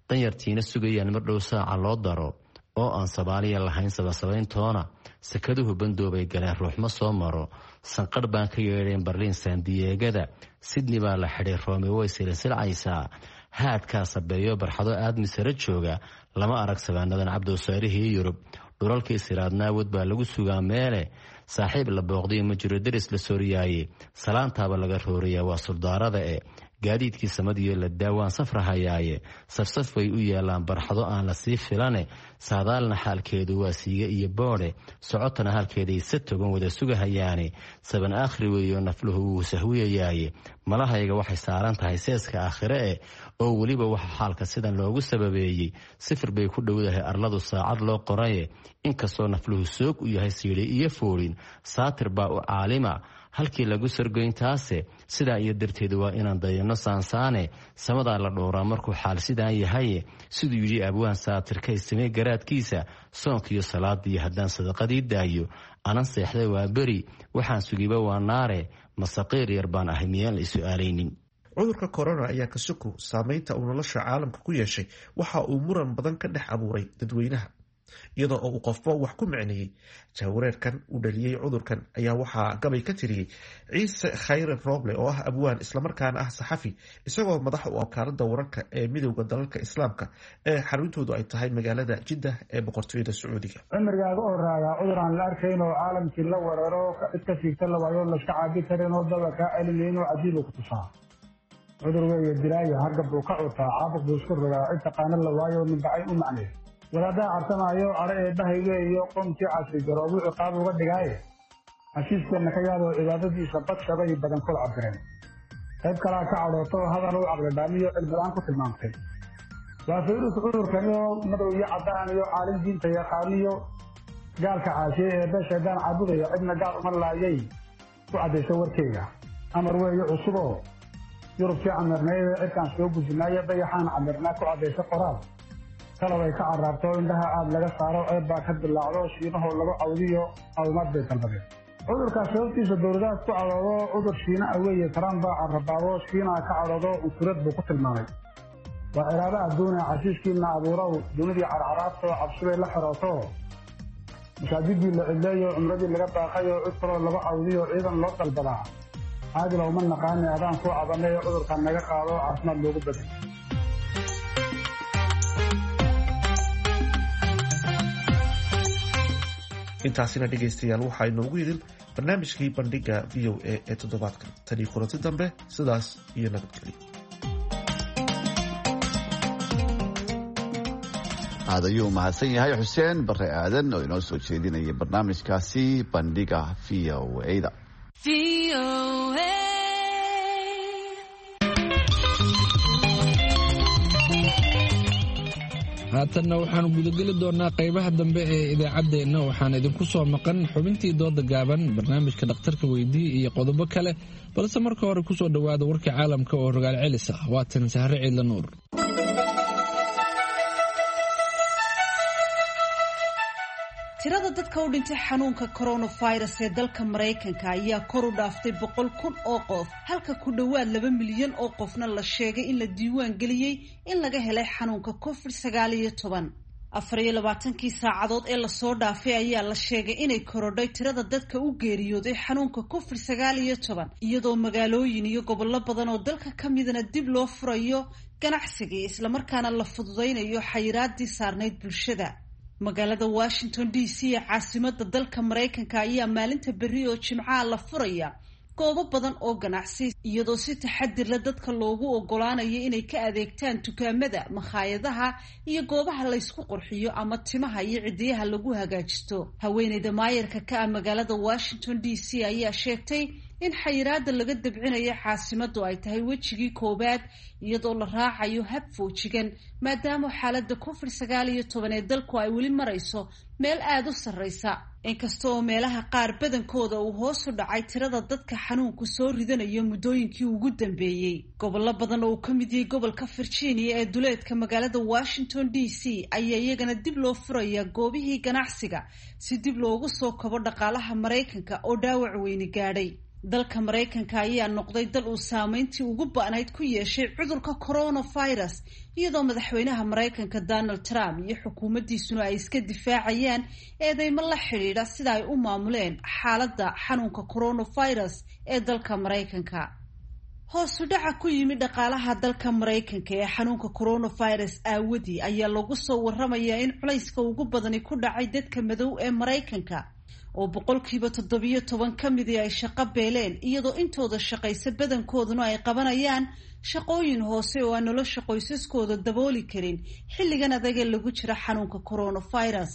danyartiina sugayaan mar dhow saaca loo daro, oo aan Soomaaliya lahayn sabansabayntoona, sakaduhu bandoobay galeen ruuxma soo maro, sanqadh baan ka yeedheen Berliin Saandiyeegada, Sidney baa la xidhay, Roome way silsilcaysaa, haadkaa sabeeyo barxado aadmi sare jooga lama arag, sabaanadan cabdowsaarihii Yurub dhulalkii siraadnaawad baa lagu sugaa, meele saaxiib la booqday ma jiro, deris la sooriyaaye salaantaaba laga rooriyaa, waa suldaarada e gaadiidkii samadiyo la daawaan safrahayaaye, safsaf bay u yaalaan barxado aan la sii filane, saadaalna xaalkeedu waa siige iyo boodhe, socotana halkeeday sa togan wada sugahayaane, saban aakhri weeyo nafluhu wuu sahwiyayaaye, malahayga waxay saaran tahay seeska aakhire e, oo weliba waxa xaalka sidan loogu sababeeyey sifir bay ku dhowdahay arladu saacad loo qoraye, inkastoo nafluhu soog u yahay siidhi iyo foolin, saatir baa u caalima Halkii lagu sargoyntaase sidaa iyo darteed waa inaan dayanno saansaane. Samadaa la dhowraa markuu xaal sidaan yahaye, siduu yidhi abwaan saatirkay samee garaadkiisa. Soonkiiyo salaadiiyo haddaan sadaqadii daayo, anan seexday waa beri, waxaan sugiba waa naare. Masaqiir yar baan ahay, miyaan la isu-aalaynin? Cudurka corona ayaa kasuko saameynta uu nolosha caalamka ku yeeshay waxa uu muran badan ka dhex abuuray dadweynaha, iyadoo oo uu qofba wax ku micneeyey. Jahwareerkan uu dhaliyey cudurkan ayaa waxaa gabay ka tiriyey Ciise Khayre Rooble, oo ah abwaan islamarkaana ah saxafi, isagoo madax u wakaalada wararka ee Midowda Dalalka Islaamka ee xaruntoodu ay tahay magaalada Jiddah ee Boqortooyada Sacuudiga. Cimrigaaga oo raagaa cudur aan la arkayn oo caalamkii la weeraro, cid ka siigta la waayo, layska caabi karin oo daba kaa celinayn oo cajiib ku tusaa. Cudur weeye dilaayo, hargab buu ka cutaa, caabuq buu isku rogaa, cid taqaano la waayo, ninbacay u macnay. Wadaaddaa cartamaayo, cadho eebbahay weeyo, qoomkii casri garoobuu ciqaab uga dhigaaye. Xashiiskeenna ka yaaboo cibaadadiisa badshabay badankood cabireen. Qayb kalaa ka cadhooto, hadal u caqlidhaamiyo cilmilaan ku tilmaamtay. Waa fayrus cudurkanioo madow iyo caddaan iyo caalim diinta yaqaaniyo gaalka caashiye eebbe shaydaan caabudaya, cidna gaal uma laayay ku caddayso warkeyga. Amar weeye cusuboo Yurubkii camirnayde cidkaan soo gujinaayo, dayaxaan camirnaa ku caddayso qoraal. Kalab ay ka carraabto, indhaha aad laga saaro, ceeb baa ka dilaacdo, Shiinahoo lagu cawdiyo caawimaad bay dalbadeen. Cudurkaas sababtiisa dowladahaas ku cadoodo, cudur Shiina ah weeye, Trump baa carrabaabo, Shiinaa ka cadhoodo, cunsurad buu ku tilmaamay. Waa ciraabo adduuna, casiiskiina abuurow, dunidii carcaraabto, cabsibay la xirooto, masaajidii la cidleeyo, cumradii laga baaqayo, cid kaloo lagu cawdiyo, ciidan loo dalbadaa. Caadil uma naqaani, adaan kuu cabanay, cudurkan naga qaado, caafimaad loogu baday. Intaasina dhegaystayaal waxaa inoogu idil barnaamijkii Bandhiga V O A ee toddobaadkan. Tanii kulanti dambe, sidaas iyo nabadgelyo. Aad ayuu mahadsan yahay Xuseen Bare Aadan oo inoo soo jeedinaya barnaamijkaasi Bandhiga V O A-da. Haatanna waxaanu gudageli doonaa qaybaha dambe ee idaacaddeenna. Waxaan idinku soo maqan xubintii dooda gaaban, barnaamijka dhakhtarka weydii iyo qodobo kale, balse marka hore kusoo dhowaada warka caalamka oo rogaal celis ah. Waatan Sahre Ciidla Nuur. Tirada dadka u dhintay xanuunka coronavirus ee dalka Maraykanka ayaa kor u dhaaftay boqol kun oo qof, halka ku dhowaad laba milyan oo qofna la sheegay in la diiwaan geliyey in laga helay xanuunka covid sagaal iyo toban. Afar iyo labaatankii saacadood ee lasoo dhaafay ayaa la sheegay inay korodhay tirada dadka u geeriyooday xanuunka covid sagaal iyo toban, iyadoo magaalooyin iyo gobollo badan oo dalka ka midna dib loo furayo ganacsigii, islamarkaana la fududaynayo xayiraadii saarnayd bulshada. Magaalada Washington D C ee caasimada dalka Maraykanka ayaa maalinta berri oo Jimcaha la furaya goobo badan oo ganacsi, iyadoo si taxadir la dadka loogu ogolaanayo inay ka adeegtaan dukaamada, makhaayadaha iyo goobaha laysku qurxiyo ama timaha iyo cidiyaha lagu hagaajisto. Haweeneyda maayarka ka ah magaalada Washington D C ayaa sheegtay in xayiraada laga dabcinayo caasimadu ay tahay wejigii koowaad, iyadoo la raacayo hab foojigan, maadaama xaalada covid sagaal iyo toban ee dalku ay weli marayso meel aada u sarreysa, inkasta oo meelaha qaar badankooda uu hoos u dhacay tirada dadka xanuunku soo ridanayo muddooyinkii ugu dambeeyey. Gobollo badan oo uu ka mid yahay gobolka Virginia ee duleedka magaalada Washington D C ayaa iyagana dib loo furaya goobihii ganacsiga, si dib loogu soo kabo dhaqaalaha Maraykanka oo dhaawac weyni gaadhay. Dalka Maraykanka ayaa noqday dal uu saameyntii ugu ba'nayd ku yeeshay cudurka coronavirus, iyadoo madaxweynaha Maraykanka Donald Trump iyo xukuumaddiisuna ay iska difaacayaan eedeymo la xidhiidha sida ay u maamuleen xaaladda xanuunka coronavirus ee dalka Maraykanka. Hoosu dhaca ku yimi dhaqaalaha dalka Maraykanka ee xanuunka coronavirus aawadii ayaa lagu soo waramayaa in culayska ugu badani ku dhacay dadka madow ee Maraykanka, oo boqolkiiba toddobiyo toban ka midii ay shaqo beeleen, iyadoo intooda shaqaysa badankooduna ay qabanayaan shaqooyin hoose oo aan nolosha qoysaskooda dabooli karin xilligan adagee lagu jira xanuunka coronavirus.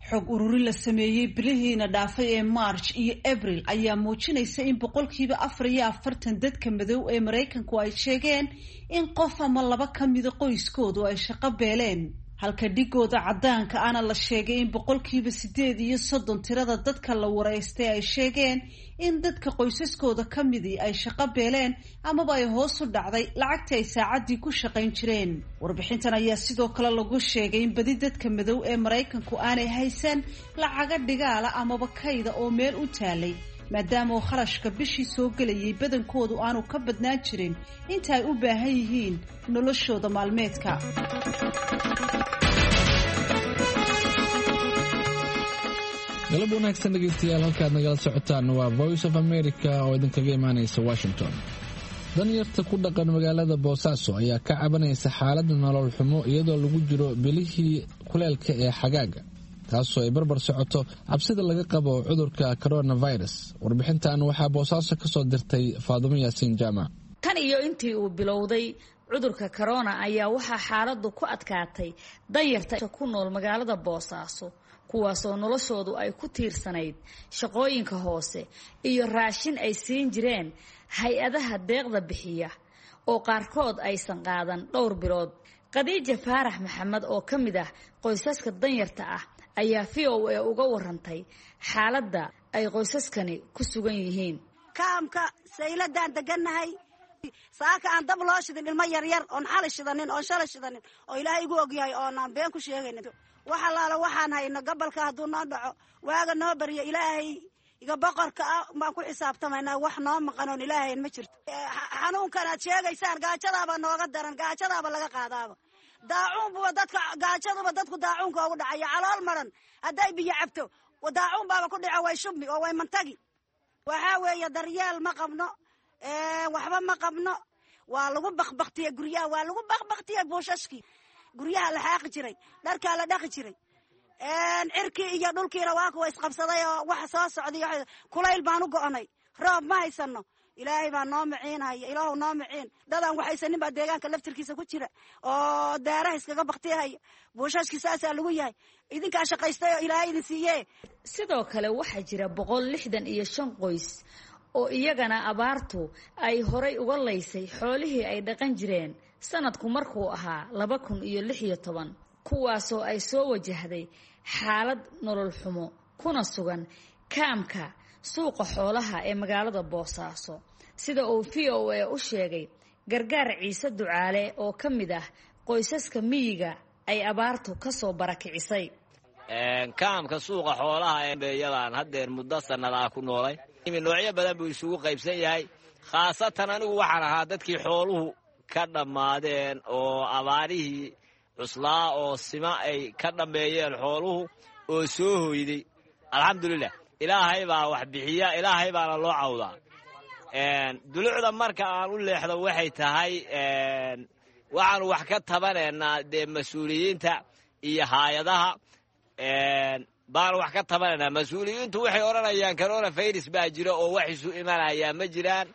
Xog ururin la sameeyey bilihiina dhaafay ee March iyo Abril ayaa muujinaysa in boqolkiiba afar iyo afartan dadka madow ee Maraykanku ay sheegeen in qof ama laba ka mida qoyskoodu ay shaqo beeleen. Halka dhigooda caddaanka ana la sheegay in boqolkiiba siddeed iyo soddon tirada dadka la wareystay ay sheegeen in dadka qoysaskooda ka midii ay shaqo beeleen amaba ay hoos u dhacday lacagtii ay saacaddii ku shaqayn jireen. Warbixintan ayaa sidoo kale lagu sheegay in badi dadka madow ee Maraykanku aanay haysan lacaga dhigaala amaba kayda oo meel u taalay, maadaama oo kharashka bishii soo gelayay badankoodu aanu ka badnaan jirin inta ay u baahan yihiin noloshooda maalmeedka. Galab wanaagsan dhegeystayaal, halkaad nagala socotaan waa Voice of America oo idinkaga imaanaysa Washington. Danyarta ku dhaqan magaalada Boosaaso ayaa ka cabanaysa xaaladda nolol xumo iyadoo lagu jiro bilihii kuleelka ee xagaaga, taasoo ay barbar socoto cabsida laga qabo cudurka coronavirus. Warbixintan waxaa Boosaaso ka soo dirtay Faadumo Yaasiin Jaamac. Tan iyo intii uu bilowday cudurka corona ayaa waxaa xaaladdu ku adkaatay danyarta ku nool magaalada Boosaaso, kuwaasoo noloshoodu ay ku tiirsanayd shaqooyinka hoose iyo raashin ay siin jireen hay-adaha deeqda bixiya oo qaarkood aysan qaadan dhowr bilood. Khadiija Faarax Maxamed oo ka mid ah qoysaska danyarta ah ayaa V O A uga warantay xaaladda ay qoysaskani ku sugan yihiin. Kaamka sayladaan degannahay, saaka aan dab loo shidin, ilmo yaryar oon xali shidanin oon shalay shidanin oo Ilaahay igu ogyahay oonaan been ku sheegaynin. Wax allaala waxaan hayno gobolka hadduu noo dhaco waaga noo baryo Ilaahay iga boqorka ah baan ku xisaabtamaynaa, wax noo maqan oon Ilaahayn ma jirto. Xanuunkan aad sheegaysaan gaajadaaba nooga daran, gaajadaaba laga qaadaaba, daacuunbuba dadka gaajaduba dadku daacuunka ugu dhacaya. Calool maran hadday biyo cabto daacuun baaba ku dhaco, way shubmi oo way mantagi. Waxaa weeye daryeel ma qabno, waxba ma qabno. Waa lagu bakbaktiyey guryaha, waa lagu bakbaktiyey buushashkii guryaha la xaaqi jiray, dharkaa la dhaqi jiray, cirkii iyo dhulkiina waa kuwa isqabsaday oo wax soo socday. Kulayl baan u go'nay, roob ma haysano. Ilaahay baa noo maciinaya, Ilaahu noo maciin. Dadaan waxaysanin baa deegaanka laftirkiisa ku jira oo daaraha iskaga baktiyahaya, buushashkii saasaa lagu yahay. Idinkaa shaqaystay oo Ilaahay idin siiye. Sidoo kale waxaa jira boqol lixdan iyo shan qoys oo iyagana abaartu ay horay uga laysay xoolihii ay dhaqan jireen sanadku markuu ahaa laba kun iyo lix iyo toban, kuwaasoo ay soo wajahday xaalad nolol xumo kuna sugan kaamka suuqa xoolaha ee magaalada Boosaaso, sida uu V O A u sheegay Gargaar Ciise Ducaale oo ka mid ah qoysaska miyiga ay abaartu ka soo barakicisay. Kaamka suuqa xoolaha ee beeyadaan haddeer muddo sannadaa ku noolay, noocyo badan buu isugu qaybsan yahay. Khaasatan anigu waxaan ahaa dadkii xooluhu ka dhammaadeen oo abaarihii cuslaa oo sima ay ka dhammeeyeen xooluhu oo soo hoyday. Alxamdulilah, Ilaahay baa wax bixiya, Ilaahay baana loo cawdaa. Dulucda marka aan u leexdo waxay tahay waxaanu wax ka tabanaynaa dee mas-uuliyiinta iyo haayadaha baanu wax ka tabanaynaa. Mas-uuliyiintu waxay odhanayaan coronavirus baa jira oo wax isu imanayaa ma jiraan.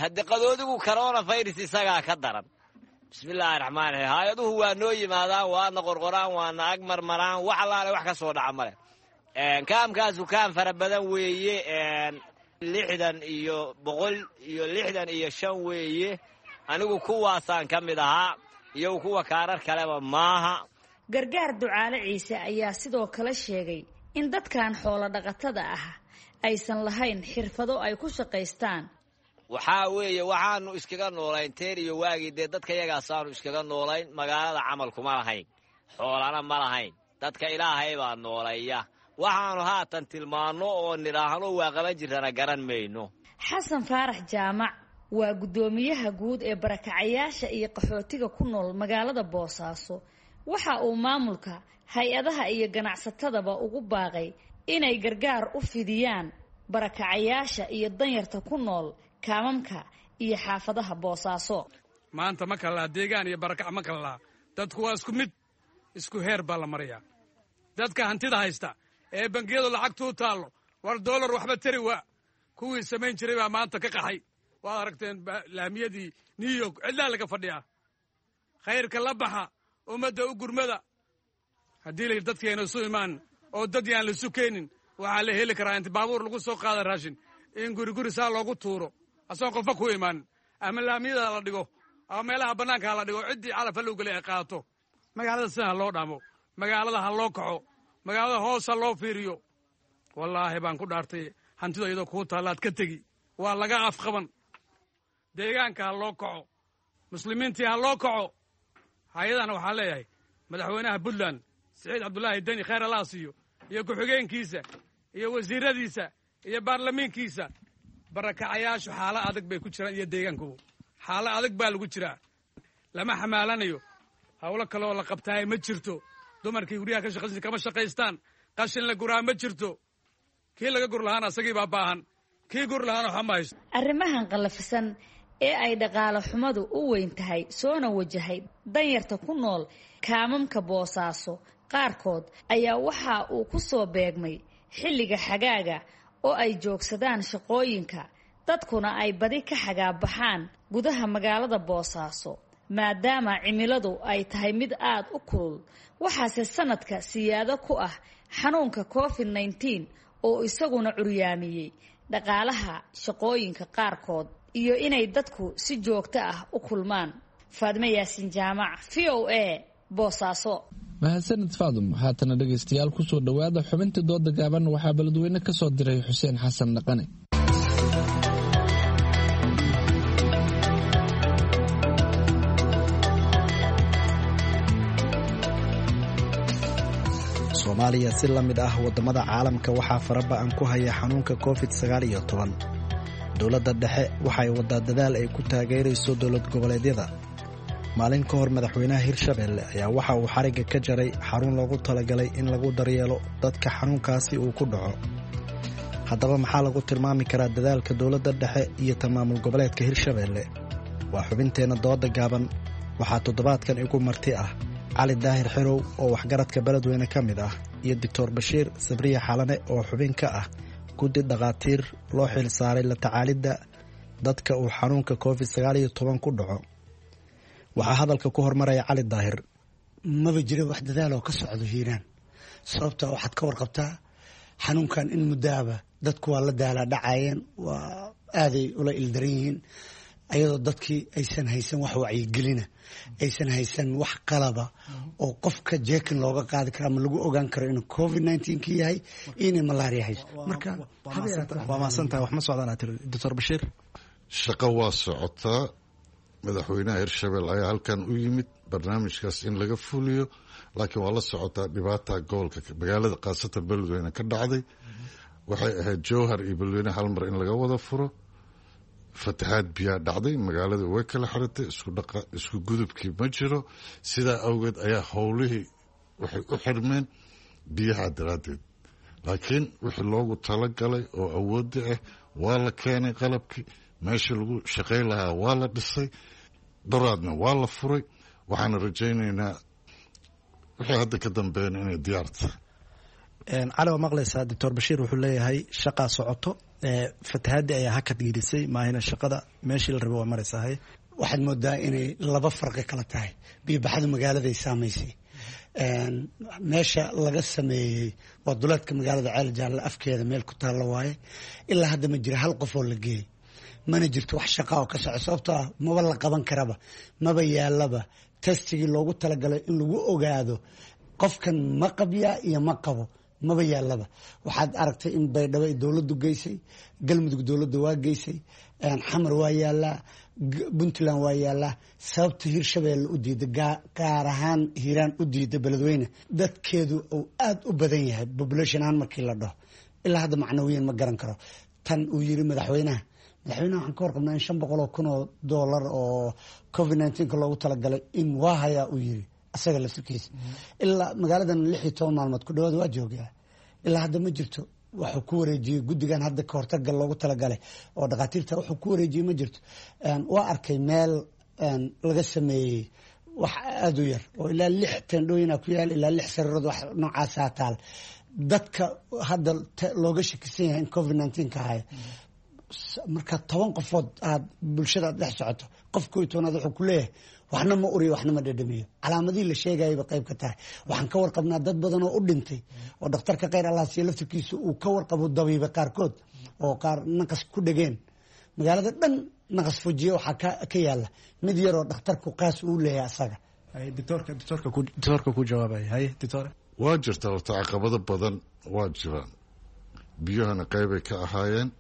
Haddii qadoodigu coronavirus isagaa ka daran. Bismillaahi raxmaan raxiim. Haayaduhu waa noo yimaadaan, waana qorqoraan, waana ag marmaraan, wax allaale wax ka soo dhaca male. Kaamkaasu kaam fara badan weeye, lixdan iyo boqol iyo lixdan iyo shan weeye. Anigu kuwaasaan ka mid ahaa, iyo kuwa kaarar kaleba maaha. Gargaar Ducaale Ciise ayaa sidoo kale sheegay in dadkan xoolo dhaqatada ah aysan lahayn xirfado ay ku shaqaystaan. Waxaa weeye waxaanu iskaga noolayn teer iyo waagii, dee dadka yagaasaanu iskaga noolayn. Magaalada camal kuma lahayn, xoolana ma lahayn, dadka Ilaahay baa noolaya. Waxaanu haatan tilmaanno oo nidhaahno waa qaban jirtana garan mayno. Xasan Faarax Jaamac waa guddoomiyaha guud ee barakacayaasha iyo qaxootiga ku nool magaalada Boosaaso. Waxa uu maamulka hay-adaha iyo ganacsatadaba ugu baaqay inay gargaar u fidiyaan barakacayaasha iyo danyarta ku nool kaamamka iyo xaafadaha Boosaaso. Maanta ma kala laha deegaan iyo barakac ma kala laha, dadku waa isku mid, isku heer baa la marayaa. Dadka hantida haysta ee bangiyadu lacagtuu taallo, war doolar waxba tari waa kuwii samayn jiray baa maanta ka qaxay. Waad aragteen laamiyadii New York cidlaa laga fadhiyaa. Khayrka la baxa, ummadda u gurmada. Haddii la yidhi dadkeena isu imaan oo dad yaan la isu keenin, waxaa la heli karaa inta baabuur lagu soo qaada raashin in guri guri saa loogu tuuro asagoon qofba ku imaan, ama laamiyada la dhigo ama meelaha bannaanka la dhigo, ciddii calafa loo gelay ay qaadato. Magaalada sidan ha loo dhaamo, magaalada ha loo kaco, magaalada hoos ha loo fiiriyo. Wallaahi baan ku dhaartay, hantida iyadoo kuu taallaad ka tegi, waa laga afqaban. Deegaanka ha loo kaco, muslimiintii ha loo kaco. Hay-adana waxaan leeyahay madaxweynaha Puntland Siciid Cabdulaahi Deni khayr allaha siiyo, iyo ku-xigeenkiisa iyo wasiiradiisa iyo baarlamiinkiisa. Barakacayaashu xaalo adag bay ku jiraan, iyo deegaankubu xaalo adag baa lagu jiraa. Lama xamaalanayo, hawlo kale oo la qabtaay ma jirto. Dumarkii guryaha ka shaqaysan kama shaqaystaan, qashin la guraa ma jirto. Kii laga gur lahaana asagii baa baahan, kii gur lahaana waxa ma haysto. Arrimahan qallafisan ee ay dhaqaale xumadu u weyn tahay soona wajahay danyarta ku nool kaamamka Boosaaso qaarkood ayaa waxa uu ku soo beegmay xilliga xagaaga oo ay joogsadaan shaqooyinka, dadkuna ay badi ka xagaabaxaan gudaha magaalada Boosaaso maadaama cimiladu ay tahay mid aad u kulul. Waxaase sanadka siyaado ku ah xanuunka covid nineteen oo isaguna curyaamiyey dhaqaalaha shaqooyinka qaarkood iyo inay dadku si joogto ah u kulmaan. Faadmo Yaasin Jaamac, V O A, Boosaaso. Mahadsanid Faadum. Haatana dhegaystayaal kusoo dhowaada xubintii dooda gaaban. Waxaa beledweyne ka soo diray Xuseen Xasan Dhaqane. Soomaaliya si la mid ah waddamada caalamka waxaa faraba'an ku haya xanuunka covid sagaal iyo toban. Dowladda dhexe waxay waddaa dadaal ay ku taageerayso dowlad goboleedyada. Maalin ka hor madaxweynaha Hirshabelle ayaa waxa uu xarigga ka jaray xarun loogu talagalay in lagu daryeelo dadka xanuunkaasi uu ku dhaco. Haddaba maxaa lagu tilmaami karaa dadaalka dowladda dhexe iyo tan maamul goboleedka Hirshabelle? Waa xubinteenna dooda gaaban. Waxaa toddobaadkan igu marti ah Cali Daahir Xirow oo waxgaradka beledweyne ka mid ah iyo Doctor Bashiir Sabriye Xalane oo xubin ka ah guddi dhakhaatiir loo xil saaray la tacaalidda dadka uu xanuunka covid sagaal iyo toban ku dhaco. Waxaa hadalka ku hormaraya Cali Daahir. Maba jiro wax dadaal oo ka socdo Hiiraan, sababta waxaad ka warqabtaa xanuunkan in muddaaba dadku waa la daalaa dhacayeen, waa aaday ula ildaran yihiin, ayadoo dadkii aysan haysan wax wacyigelina, aysan haysan wax qalaba oo qofka jeekin looga qaadi karo ama lagu ogaan karo inuu covid nineteen ka yahay inay malaria hayso. Marka waa mahadsantahay, wax ma socdaan aad tiri Doctor Bashiir. Shaqo waa socotaa. Madaxweynaha Hirshabelle ayaa halkan u yimid barnaamijkaas in laga fuliyo, laakiin waa la socotaa dhibaata gobolka magaalada khaasatan beledweyne ka dhacday. Waxay ahayd Jowhar iyo beledweyne hal mar in laga wada furo. Fatahaad biyaa dhacday, magaalada way kala xiratay, isku dhaqa isku gudubkii ma jiro. Sidaa awgeed ayaa howlihii waxay u xirmeen biyaha daraaddeed. Laakiin wixii loogu talagalay oo awoodda ah waa la keenay, qalabkii meesha lagu shaqayn lahaa waa la dhisay, daraadna waa la furay. Waxaana rajaynaynaa wixii hadda ka dambeeyana inay diyaar tahay. Cali, waa maqlaysaa Doctor Bashiir wuxuu leeyahay shaqaa socoto, fatahaadii ayaa hakad gelisay, maahina shaqada meeshii la rabay waa maraysahay. Waxaad moodaa inay laba farqi kala tahay. Biyobaxadu magaaladay saamaysay, meesha laga sameeyey waa duleedka magaalada Ceel Jaalle afkeeda meel ku taalla waaye. Ilaa hadda ma jira hal qof oo la geeyey, mana jirto wax shaqa oo ka soco, sababtoo ah maba la qaban karaba, maba yaalaba testigii loogu talagalay in lagu ogaado qofkan ma qabyaa iyo ma qabo, maba yaalaba. Waxaad aragtay in Baydhabo ay dowladdu geysay, Galmudug dowladda waa geysay, Xamar waa yaalaa, Puntland waa yaalaa. Sababta Hirshabelle u diida, gaar ahaan Hiiraan u diida beledweyne, dadkeedu uu aada u badan yahay population ahaan markii la dhaho, ilaa hadda macnawiyan ma garan karo. Tan uu yiri madaxweynaha madaxweynaha waxaan ka warqabnaa in shan boqol oo kun oo doolar oo covid nineteenka loogu talagalay in waa hayaa uu yiri asaga laftirkiisa. Ilaa magaaladan lix iyo toban maalmood ku dhawaad waa joogaa, ilaa hadda ma jirto wuxuu ku wareejiyey guddigan hadda ka hortaga loogu talagalay oo dhakhaatiirta wuxuu ku wareejiyey ma jirto. Waa arkay meel laga sameeyey wax aada u yar oo ilaa lix teendhooyina ku yaal, ilaa lix sariirood wax noocaasaa taal. Dadka hadda looga shakisan yahay in covid nineteen ka haya, marka toban qofood aad bulshada aad dhex socoto, qof koo iyo tobanaad wuxuu ku leeyahay waxna ma uriyo waxna ma dhadhamiyo. Calaamadihii la sheegayaba qayb ka tahay. Waxaan ka warqabnaa dad badan oo u dhintay oo dhakhtarka khayr allah siiyo laftirkiisa uu ka warqabo dabiiba qaarkood oo qaar naqas ku dhegeen magaalada dhan, naqas fujiye waxaa ka yaala mid yaroo dhakhtarku qaas uu leeyahay asaga. Doctoorka ku jawaabaya, haye doctor. Waa jirtaa horta, caqabado badan waa jiraan. Biyuhana qeybay ka ahaayeen.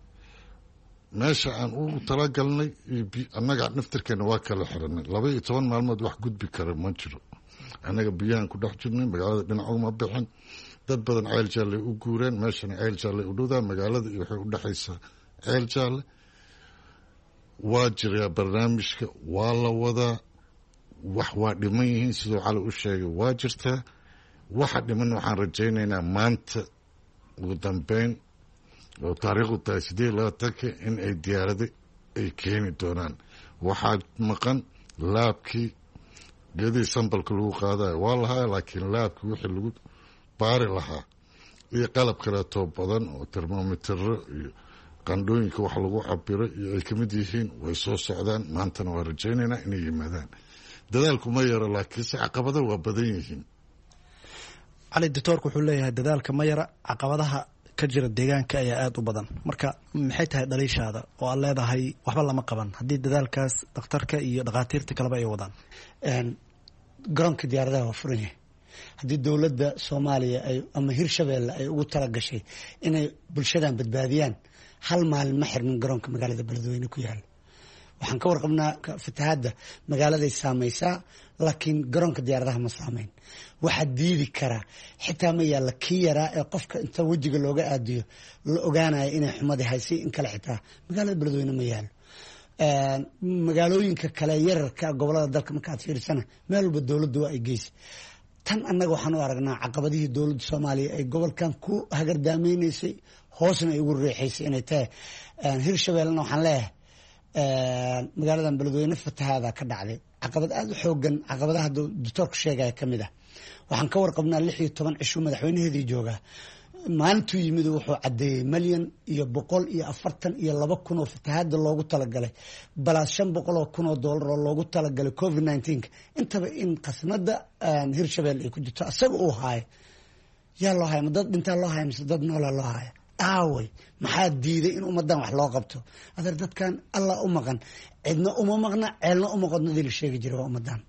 Meesha aan ugu talagalnay annaga naftirkeena waa kala xiranay. Laba iyo toban maalmood wax gudbi kara ma jiro. Annaga biyahan ku dhex jirnay, magaalada dhinacuma bixin. Dad badan Ceel Jaalle u guureen, meeshana Ceel Jaalle u dhowdaa, magaalada iyo waxay u dhexaysaa Ceel Jaalle. Waa jiraa barnaamijka, waa la wadaa, wax waa dhiman yihiin siduu Cali u sheegay, waa jirtaa waxa dhiman. Waxaan rajaynaynaa maanta ugu dambeyn oo taariikhdu tahay sideed iyo labaatanka in ay diyaarada ay keeni doonaan. Waxaa maqan lab-kii, geedihii sample-ka lagu qaadayo waa lahaa, laakiin lab-kii wixii lagu baari lahaa iyo qalab kaleetoo badan oo termomitero iyo qandhooyinka wax lagu cabiro iyo ay kamid yihiin way soo socdaan. Maantana waa rajaynaynaa inay yimaadaan. Dadaalku ma yaro, laakiinse caqabado waa badan yihiin. Cali, doctoorku wuxuu leeyahay dadaalka ma yara, caqabadaha ka jira deegaanka ayaa aada u badan. Marka maxay tahay dhaliishaada oo aad leedahay waxba lama qaban haddii dadaalkaas dhakhtarka iyo dhakhaatiirta kaleba ay wadaan? Garoonka diyaaradaha waa furan yahay. Haddii dowladda Soomaaliya ay ama Hirshabeelle ay ugu talagashay inay bulshadan badbaadiyaan, hal maalin ma xirmin garoonka magaalada Beledweyne ku yaala. Waxaan ka warqabnaa fatahaadda magaaladay saamaysaa, laakiin garoonka diyaaradaha ma saameyn. Waxaa diidi karaa xitaa ma yaalla kii yaraa ee qofka inta wejiga looga aadiyo la ogaanayo inay xumadii haysay in kale, xitaa magaalada Beledweyne ma yaalo. Magaalooyinka kale yararka gobolada dalka markaad fiirsana, meel walba dowladda waa ay geysa. Tan annaga waxaan u aragnaa caqabadihii dowladda Soomaaliya ay gobolkan ku hagardaamaynaysay, hoosna ay ugu riixaysay inay tahay. Hirshabeellena waxaan leeyahay, magaaladan Beledweyne fatahaada ka dhacday, caqabad aada u xoogan, caqabadaha doctoorku sheegaya ka mid ah. Waxaan ka warqabnaa lix iyo toban cishuu madaxweynaheedii joogaa. Maalintuu yimid wuxuu caddeeyey malyan iyo boqol iyo afartan iyo laba kun oo fatahaada loogu talagalay, balaas shan boqol oo kun oo doolar oo loogu talagalay covid nineteenka, intaba in khasnada Hirshabelle ay ku jirto asaga uu haayo. Yaa loo haya? Ma dad dhintaa loo haya mise dad noolaa loo haya? Aaway, maxaa diiday in ummadan wax loo qabto? Adeer, dadkan Allah u maqan, cidna uma maqna, ceelna uma qodnadii la sheegi jiray waa ummadan.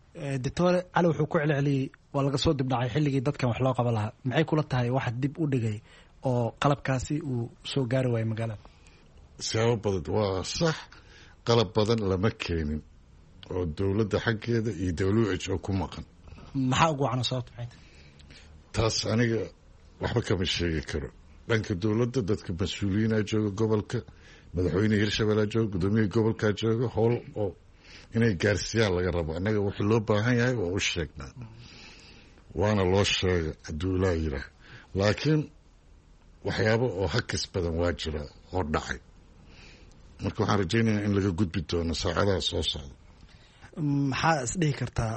Doctor Cali wuxuu ku celceliyey waa laga soo dibdhacay xilligii dadkan wax loo qaban lahaa. Maxay kula tahay waxa dib u dhigay oo qalabkaasi uu soo gaari waayay magaalada? Siyaabo badan waa sax. Qalab badan lama keenin oo dowladda xaggeeda iyo W H O ku maqan. Maxaa ugu wacna? Sababta maxay tahay? Taas aniga waxba kama sheegi karo. Dhanka dowladda dadka mas-uuliyiinaa jooga gobolka, madaxweyne Hirshabellea jooga, gudoomiyihii gobolkaa jooga, howl oo inay gaarsiiyaan laga rabo. Annaga wixii loo baahan yahay waa u sheegnaa, waana loo sheega hadduu ilaa yiraah, laakiin waxyaabo oo hakis badan waa jira oo dhacay. Marka waxaan rajaynayaa in laga gudbi doono saacadaha soo socda. Maxaa isdhihi kartaa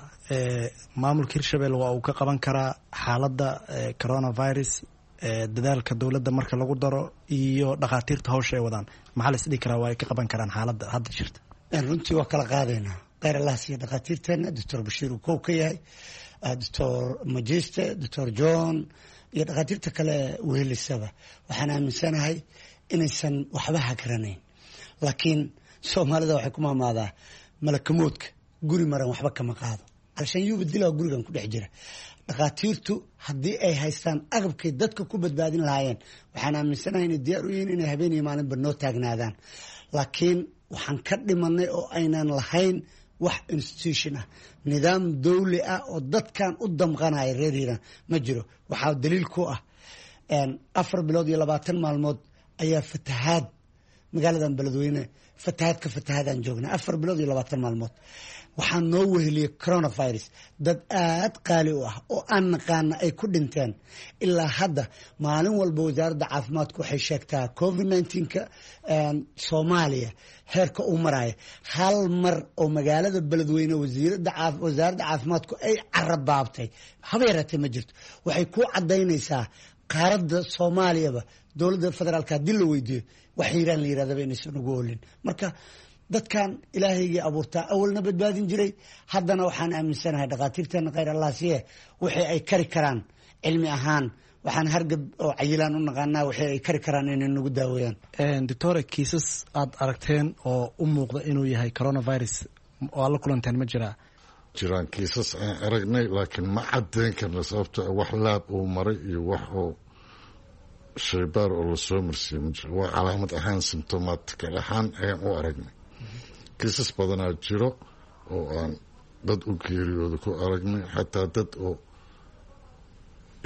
maamulka Hirshabelle waa uu ka qaban karaa xaaladda coronavirus, dadaalka dowladda marka lagu daro iyo dhakhaatiirta hawsha ay wadaan? Maxaa la isdhihi karaa waa ay ka qaban karaan xaaladda hadda jirta? Runtii waa kala qaadaynaa. Kheyr Allah siiya dhakhaatiirteena, Doctor Bashiir uu kow ka yahay, Doctor Majiste, Doctor John iyo dhakhaatiirta kale wehelisaba. Waxaan aaminsanahay inaysan waxba hagranayn, laakiin Soomaalida waxay ku maamaadaa malakamoodka guri maran waxba kama qaado. Alshan yuuba dilaa gurigan ku dhex jira. Dhakhaatiirtu haddii ay haystaan agabkay dadka ku badbaadin lahaayeen, waxaan aaminsanahay inay diyaar u yihiin inay habeen iyo maalinba noo taagnaadaan, laakiin waxaan ka dhimanay oo aynan lahayn wax institution ah, nidaam dawli ah oo dadkan u damqanaya reer Hiiraan ma jiro. Waxaa daliil ku ah afar bilood iyo labaatan maalmood ayaa fatahaad magaaladan Beledweyne, fatahaad ka fatahaadaan joognaa afar bilood iyo labaatan maalmood. Waxaa noo weheliyey coronavirus, dad aad qaali u ah oo aan naqaana ay ku dhinteen. Ilaa hadda maalin walba wasaaradda caafimaadku waxay sheegtaa covid nineteenka Soomaaliya heerka uu maraayo. Hal mar oo magaalada Beledweyne wasiirada wasaaradda caafimaadku ay carabaabtay haba yaraatee ma jirto. Waxay ku cadaynaysaa qaaradda Soomaaliyaba dowladda federaalka haddii la weydiiyo wax Hiiraan la yirahdaba inaysan ugu olin. Marka dadkan Ilaahaygii abuurtaa awalna badbaadin jiray, haddana waxaan aaminsanahay dhakhaatiirteena, kheyr Allah siye, wixii ay kari karaan cilmi ahaan, waxaan hargab oo cayilaan u naqaanaa, wixii ay kari karaan inay nagu daaweeyaan. Doctore, kiisas aada aragteen oo u muuqda inuu yahay coronavirus oo aad la kulanteen ma jiraa? jiraan kiisas aan aragnay, laakiin ma cadeyn karna sababto wax laab uu maray iyo wax oo shaybaar oo lasoo marsiiye ma jiro. Waa calaamad ahaan, symptomatical ahaan ayaan u aragnay. Kiisas badanaa jiro oo aan dad u geeriyooda ku aragnay, xataa dad oo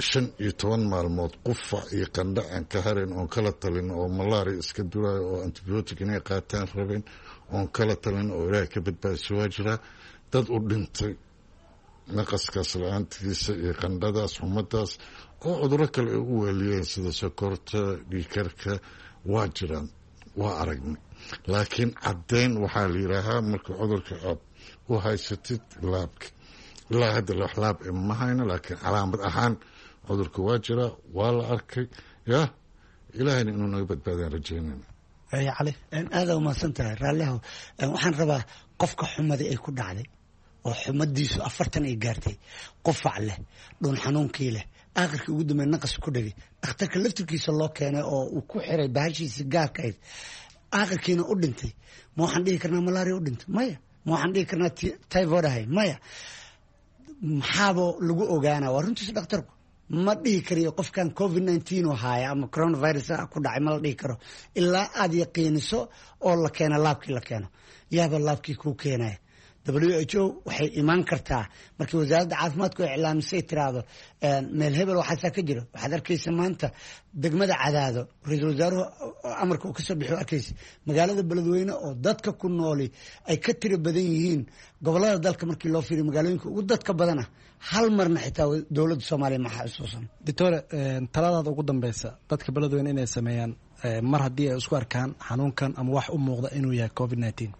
shan iyo toban maalmood qufac iyo qandho aan ka harayn oon kala talin, oo malaria iska duraayo oo antibiotic inay qaataan rabeen oon kala talin oo ilaahay ka badbaadiso waa jiraa. Dad u dhintay naqaskaas la-aantiisa iyo qandhadaas, xumadaas oo cuduro kale ay u weeliyeen sida sokorta, dhiikarka waa jiraan, waa aragnay. Laakiin caddeyn waxaa la yidhaahaa marka cudurka aad u haysatid laabka. Ilaa hadda wax laab ma hayno, laakiin calaamad ahaan cudurka waa jiraa, waa la arkay. Ya ilaahayna inuu naga badbaadaan rajeynayna. Cali, aada umahadsan tahay. Raallihow, waxaan rabaa qofka xumadii ay ku dhacday oo xumadiisu afartan ay gaartay, qufac leh, dhuun xanuunkii leh, aakhirkii ugu dambeey naqas ku dhegay, dhakhtarka laftirkiisa loo keenay oo uu ku xiray bahashiisa gaarka ahayd, aakhirkiina u dhintay, ma waxaan dhihi karnaa malaria u dhintay? Maya. Ma waxaan dhihi karnaa typhoid ahay? Maya. Maxaaba lagu ogaanaa? Waa runtiisa, dhakhtarku ma dhihi kariyo qofkan covid nineteen oo haaya ama coronavirus ku dhacay, ma la dhihi karo ilaa aada yaqiiniso oo la keeno laabkii la keeno. Yaaba laabkii kuu keenaya? W H O waxay imaan kartaa markii wasaaradda caafimaadku ay iclaamisay, tiraahdo meel hebel waxaasaa ka jiro. Waxaad arkaysa maanta degmada Cadaado ra-iisul wasaaruhu amarka uu kasoo bixiyo, arkaysa magaalada Beledweyne oo dadka ku nooli ay ka tiro badan yihiin gobolada dalka markii loo fiiriyo, magaalooyinka ugu dadka badana, hal marna xitaa dowladda Soomaaliya ma xasuusan. Doctore, taladaada ugu dambeysa dadka Beledweyne inay sameeyaan mar haddii ay isku arkaan xanuunkan ama wax u muuqda inuu yahay covid nineteen?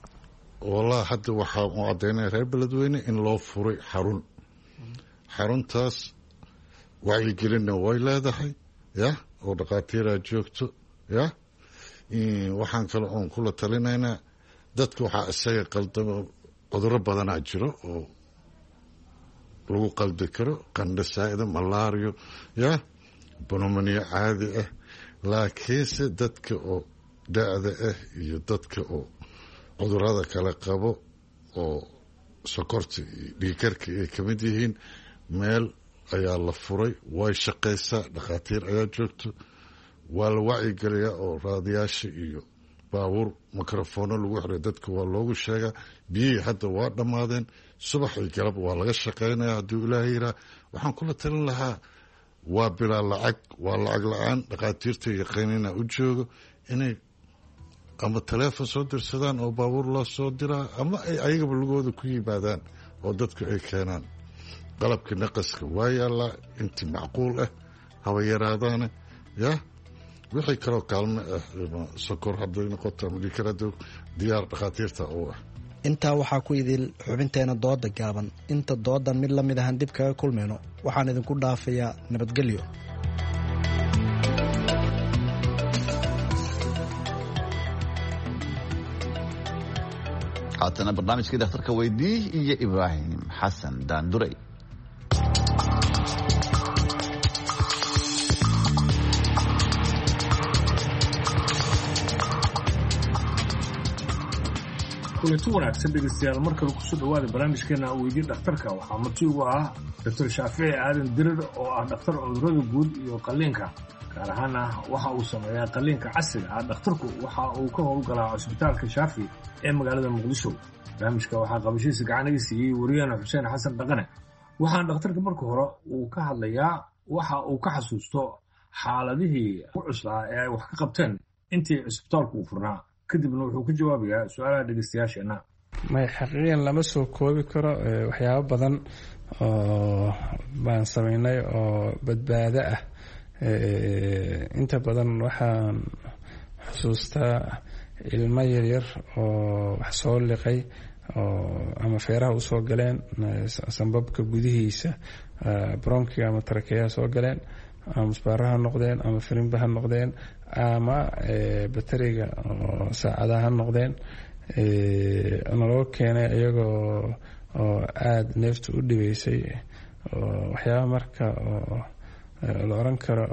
Wallahi hadda waxaa u caddaynaya reer Beledweyne in loo furay xarun. Xaruntaas wacyigelinna way leedahay, ya oo dhakhaatiiraa joogto. Ya waxaan kale oon kula talinaynaa dadka, waxaa isaga qaldamo, cuduro badanaa jiro oo lagu qaldi karo, qandho saa'ida, malario, ya pneumonia caadi ah. Laakiinse dadka oo da-da ah iyo dadka oo cudurada kale qabo oo sokorta iyo dhiikarka ay ka mid yihiin, meel ayaa la furay, way shaqaysaa, dhakhaatiir ayaa joogto, waa la wacyigeliyaa oo raadiyaasha iyo baabuur mikrofoono lagu xiray dadka waa loogu sheegaa. Biyihii hadda waa dhammaadeen, subax iyo galab waa laga shaqaynaya hadduu Ilaahay yiraa. Waxaan kula talin lahaa waa bilaa lacag, waa lacag la-aan. Dhakhaatiirta yaqaanina u joogo inay ama taleefon soo dirsadaan oo baabuur loo soo diraa, ama ay ayagaba lugooda ku yimaadaan oo dadku ay keenaan. Qalabkii naqaska waa yaallaa intii macquul ah, haba yaraadaane. Ya wixii kaloo kaalmo ah, sokor hadday noqoto ama dhiikar, diyaar dhakhaatiirta u ah. Intaa waxaa ku idil xubinteena dooda gaaban. Inta doodan mid la mid ahan dib kaga kulmayno, waxaan idinku dhaafayaa nabadgelyo. Haatana barnaamijkii dhakhtarka weydii iyo Ibraahim Xasan Daanduray. Kulanti wanaagsan dhegeystayaal, mar kale kusoo dhawaada barnaamijkeena Weydii Dhakhtarka. Waxaa marti ugu ah Doctor Shaafici Aadan Dirir oo ah dhakhtar cudurrada guud iyo qalliinka, gaar ahaana waxa uu sameeyaa qalliinka casriga ah. Dhakhtarku waxa uu ka howlgalaa Cusbitaalka Shaafi ee magaalada Muqdisho. Barnaamijka waxaa qabashiisa gacanaga siiyey wariyahana Xuseen Xasan Dhaqane. Waxaan dhakhtarka marka hore uu ka hadlayaa waxa uu ka xasuusto xaaladihii ku cuslaa ee ay wax ka qabteen intii cusbitaalku uu furnaa, kadibna wuxuu ka jawaabayaa su-aalaha dhegeystayaasheenna. May, xaqiiqiyan lama soo koobi karo. Waxyaabo badan oo baan sameynay oo badbaado ah. Inta badan waxaan xusuustaa ilmo yaryar oo wax soo liqay oo ama feeraha usoo galeen, sambabka gudihiisa, bronkiga ama tarakeyaha soo galeen, ama musbaaro ha noqdeen ama firimba ha noqdeen ama bateriga oo saacadaha ha noqdeen, naloo keenay iyagoo oo aada neefta u dhibeysay, oo waxyaaba marka oo la oran karo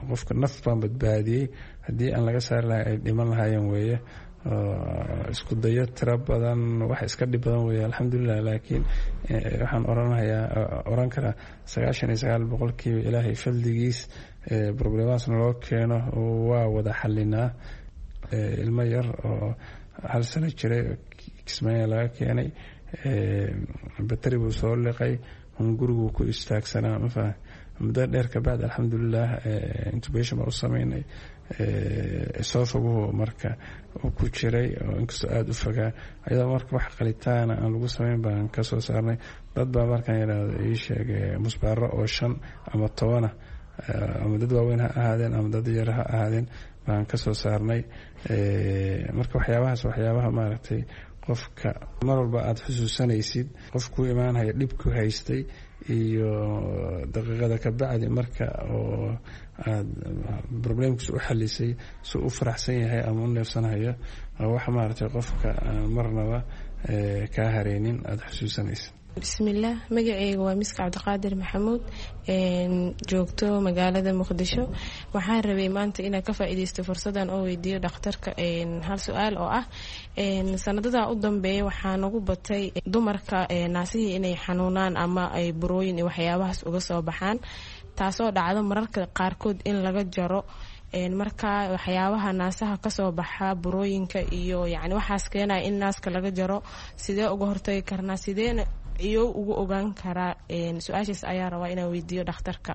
qofka naf baan badbaadiyey, haddii aan laga saari lahay ay dhiman lahaayeen weeye. Isku dayo tiro badan, wax iska dhib badan weeye, alxamdulilah. Laakiin waxaan oranhayaa oran karaa sagaashan iyo sagaal boqolkiiba Ilaahay fadligiis problemaas naloo keeno waa wada xalinaa. Ilmo yar oo hal sano jiray Kismaayo laga keenay, batari buu soo liqay, hunguriguu ku istaagsanaa, mafaha. Muddo dheer kabacdi, alxamdulilah, intubation baa u sameynay. Esophaguhu marka uu ku jiray oo inkastoo aada u fogaa, ayadoo marka wax qalitaana aan lagu sameyn baan kasoo saarnay. Dad baa markaan yidhaahdo ii sheegay musbaaro oo shan ama tobana, ama dad waaweyn ha ahaadeen ama dad yar ha ahaadeen, baan kasoo saarnay. Marka waxyaabahaas, waxyaabaha maaragtay qofka mar walba aada xusuusanaysid, qof kuu imaanhaya dhibku haystay iyo daqiiqada ka bacdi marka oo aada problemkiisa u xalisay si u faraxsan yahay ama u neefsanhayo, wax maaragtay qofka aan marnaba kaa hareynin aada xusuusanaysid. Bismillaah, magaceyga waa Miska Cabdiqaadir Maxamuud, joogto magaalada Muqdisho. Waxaan rabay maanta inaan ka faa-iideysto fursadan oo weydiiyo dhakhtarka hal su-aal oo ah: sanadada u dambeeya waxaa nagu batay dumarka naasihii inay xanuunaan ama ay burooyin iyo waxyaabahaas uga soo baxaan, taasoo dhacdo mararka qaarkood in laga jaro. Marka waxyaabaha naasaha kasoo baxa, burooyinka iyo yani waxaas keenaya in naaska laga jaro, sidee uga hortagi karnaa, sideena iyo ugu ogaan karaa? Su-aashaas ayaa rabaa inaan weydiiyo dhakhtarka.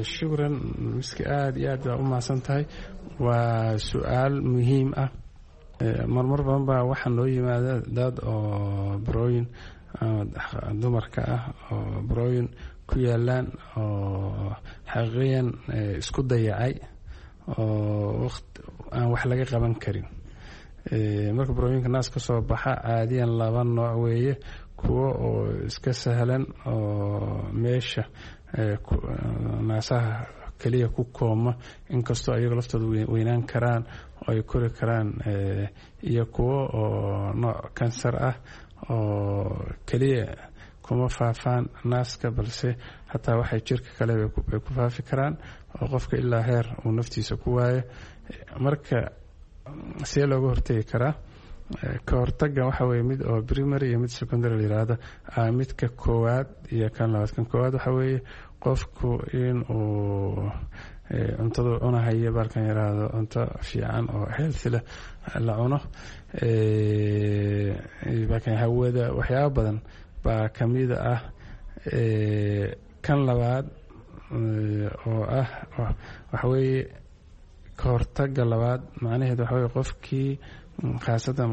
Shukran Miski, aada iyo aad baa u mahadsan tahay. Waa su-aal muhiim ah. Marmar badan baa waxaa noo yimaada dad oo burooyin dumarka ah oo burooyin ku yaalaan oo xaqiiqiyan isku dayacay oo aan wax laga qaban karin. Marka burooyinka naas ka soo baxa caadiyan laba nooc weeye: kuwo oo iska sahlan oo meesha naasaha keliya ku kooma, inkastoo ayago laftooda weynaan karaan oo ay kori karaan, iyo kuwo oo nooc kansar ah oo keliya kuma faafaan naaska, balse hataa waxay jirka kale bay ku faafi karaan oo qofka ilaa heer uu naftiisa ku waayo. Marka see looga hortegi karaa? Ka hortaga waxa weye mid oo primary iyo mid secondary la yiraahdo. Midka koowaad iyo kan labaad. Kan koowaad waxa weeye qofku in uu cuntadu cunahayo, baalkan yiraahdo, cunto fiican oo healthy leh la cuno, baalkan hawada, waxyaaba badan baa kamida ah. Kan labaad oo ah waxa weeye ka hortaga labaad, macnaheed waxa weye qofkii khaasatan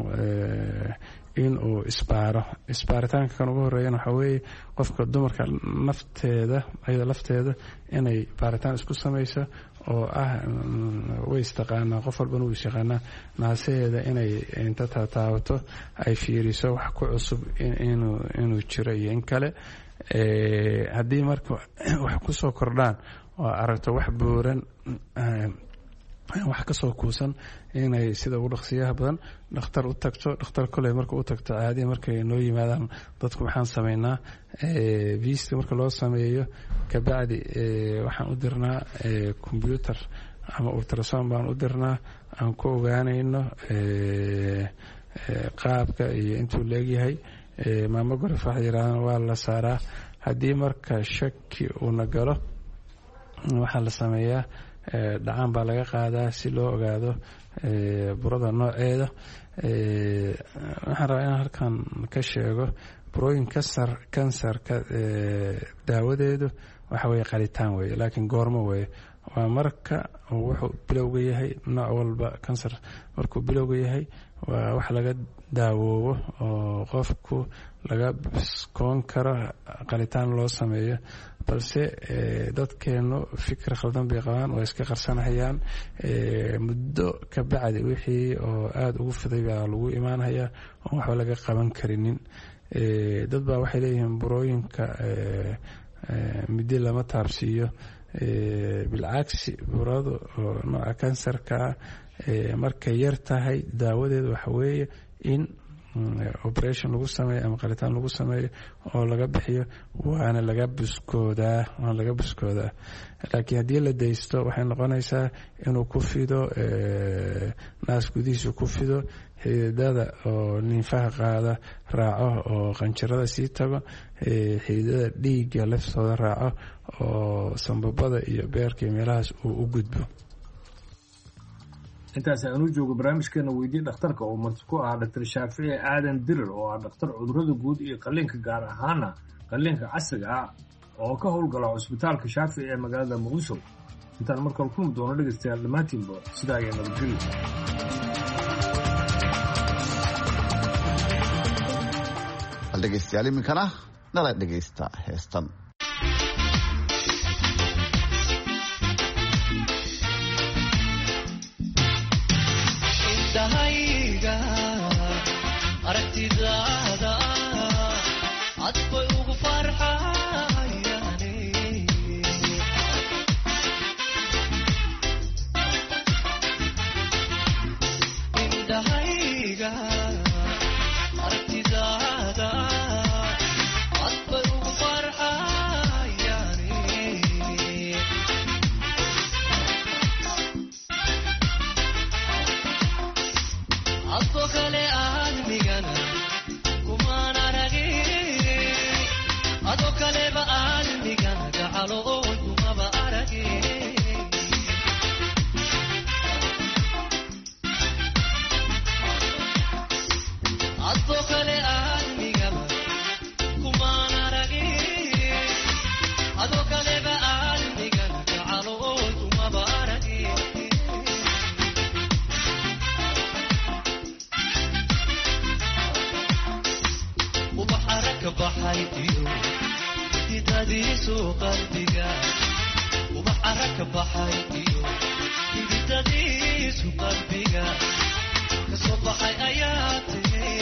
in uu isbaaro. Isbaaritaanka kan ugu horeeyana waxaa weeye qofka dumarka nafteeda, ayada lafteeda inay baaritaan isku sameyso oo ah way istaqaanaa, qof walbana wuu isyaqaanaa, naasaheeda inay inta taataabato ay fiiriso wax ku cusub inuu inuu jiro iyo in kale. Haddii marka wax kusoo kordhaan oo aragto wax buuran, wax kasoo kuusan, inay sida ugu dhaqsiyaha badan dhakhtar u tagto. Dhakhtar koley marka u tagto, caadiya markay noo yimaadaan dadku waxaan sameynaa vista. Marka loo sameeyo kabacdi waxaan u dirnaa combyuter ama ultrasound baan u dirnaa aan ku ogaanayno qaabka iyo intuu leegyahay. Mammograph waxa yirahdaan waa la saaraa. Haddii marka shaki uuna galo, waxaa la sameeyaa dhacaan baa laga qaadaa si loo ogaado burada nooceeda. Waxaan rabaa inaan halkan ka sheego burooyin kasar kansarka daawadeedu waxa weye qalitaan weye, laakiin goormo weye? Waa marka wuxuu bilowga yahay. Nooc walba kansar markuu bilowga yahay waa wax laga daawoobo oo qofku laga biskoon karo qalitaan loo sameeyo, balse dadkeenu fikir khaldan bay qabaan, waa iska qarsanhayaan. Muddo ka bacdi wixii oo aada ugu fiday baa lagu imaanhayaa oon waxba laga qaban karinin. Dad baa waxay leeyihiin burooyinka midi lama taabsiiyo. Bilcagsi, burada oo nooca kansarkaa markay yar tahay daawadeedu waxa weeye in operation lagu sameeyo ama qalitaan lagu sameeyo oo laga bixiyo, waana laga buskoodaa waana laga buskoodaa. Laakiin haddii la daysto waxay noqonaysaa inuu ku fido naas gudihiisu ku fido, xididada oo ninfaha qaada raaco oo qanjirada sii tago, xididada dhiigga laftooda raaco oo sambabada iyo beerka iyo meelahaas uu u gudbo. Intaas aanu joogo barnaamijkeena weydii dhakhtarka oo marti ku ahaa Doctor Shaafici Aadan Dirir oo ah dhakhtar cudurrada guud iyo qalliinka, gaar ahaana qalliinka casriga ah, oo ka howlgala cusbitaalka Shaafici ee magaalada Muqdisho. Intaan markale kulmi doono dhegeystayaal, dhammaantiinba sidaa ayaa nabadgelyo. Bal dhegeystayaal, iminkana nala dhegeysta heestan. Indhahayga aragtidaada cad bay ugu farxayaane, indhahayga aragtidaada cad bay ugu farxayaane. Adoo kale aadmigana kumaan aragin, adoo kaleba aadmigana gacalo oon kumaba aragin. Adoo kale aadmigaba kumaan aragin, adoo kaleba aadmigana gacalo oon kumaba aragin. Ubax aragka baxay iyo xididadiisu qalbiga, ubax aragka baxay iyo xididadiisu qalbiga kasoo baxay ayaa tiri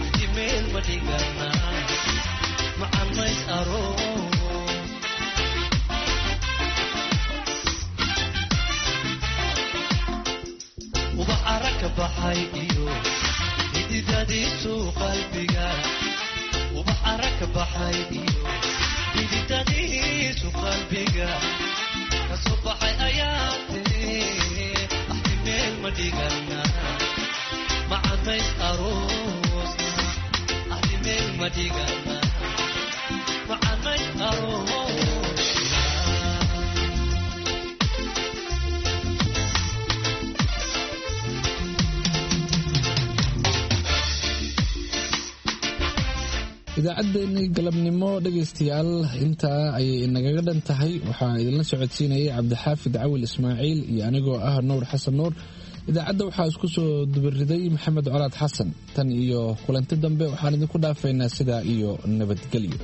axdi meel ma dhigana macanays aroos. Ubax aragka baxay iyo xididadiisu qalbiga, ubax aragka baxay iyo xididadiisu qalbiga kasoo baxay ayaa tiri axdi meel ma dhigana macanays aroosna, axdi meel ma dhigana macanays aroosna. Idaacaddeenii galabnimo dhegaystayaal intaa ayay inagaga dhan tahay. Waxaa idinla socodsiinayay Cabdixaafid Cawil Ismaaciil iyo anigoo ah Nuur Xasan Nuur. Idaacadda waxaa isku soo dubariday Maxamed Colaad Xasan. Tan iyo kulanti dambe waxaan idinku dhaafaynaa sidaa iyo nabadgelyo.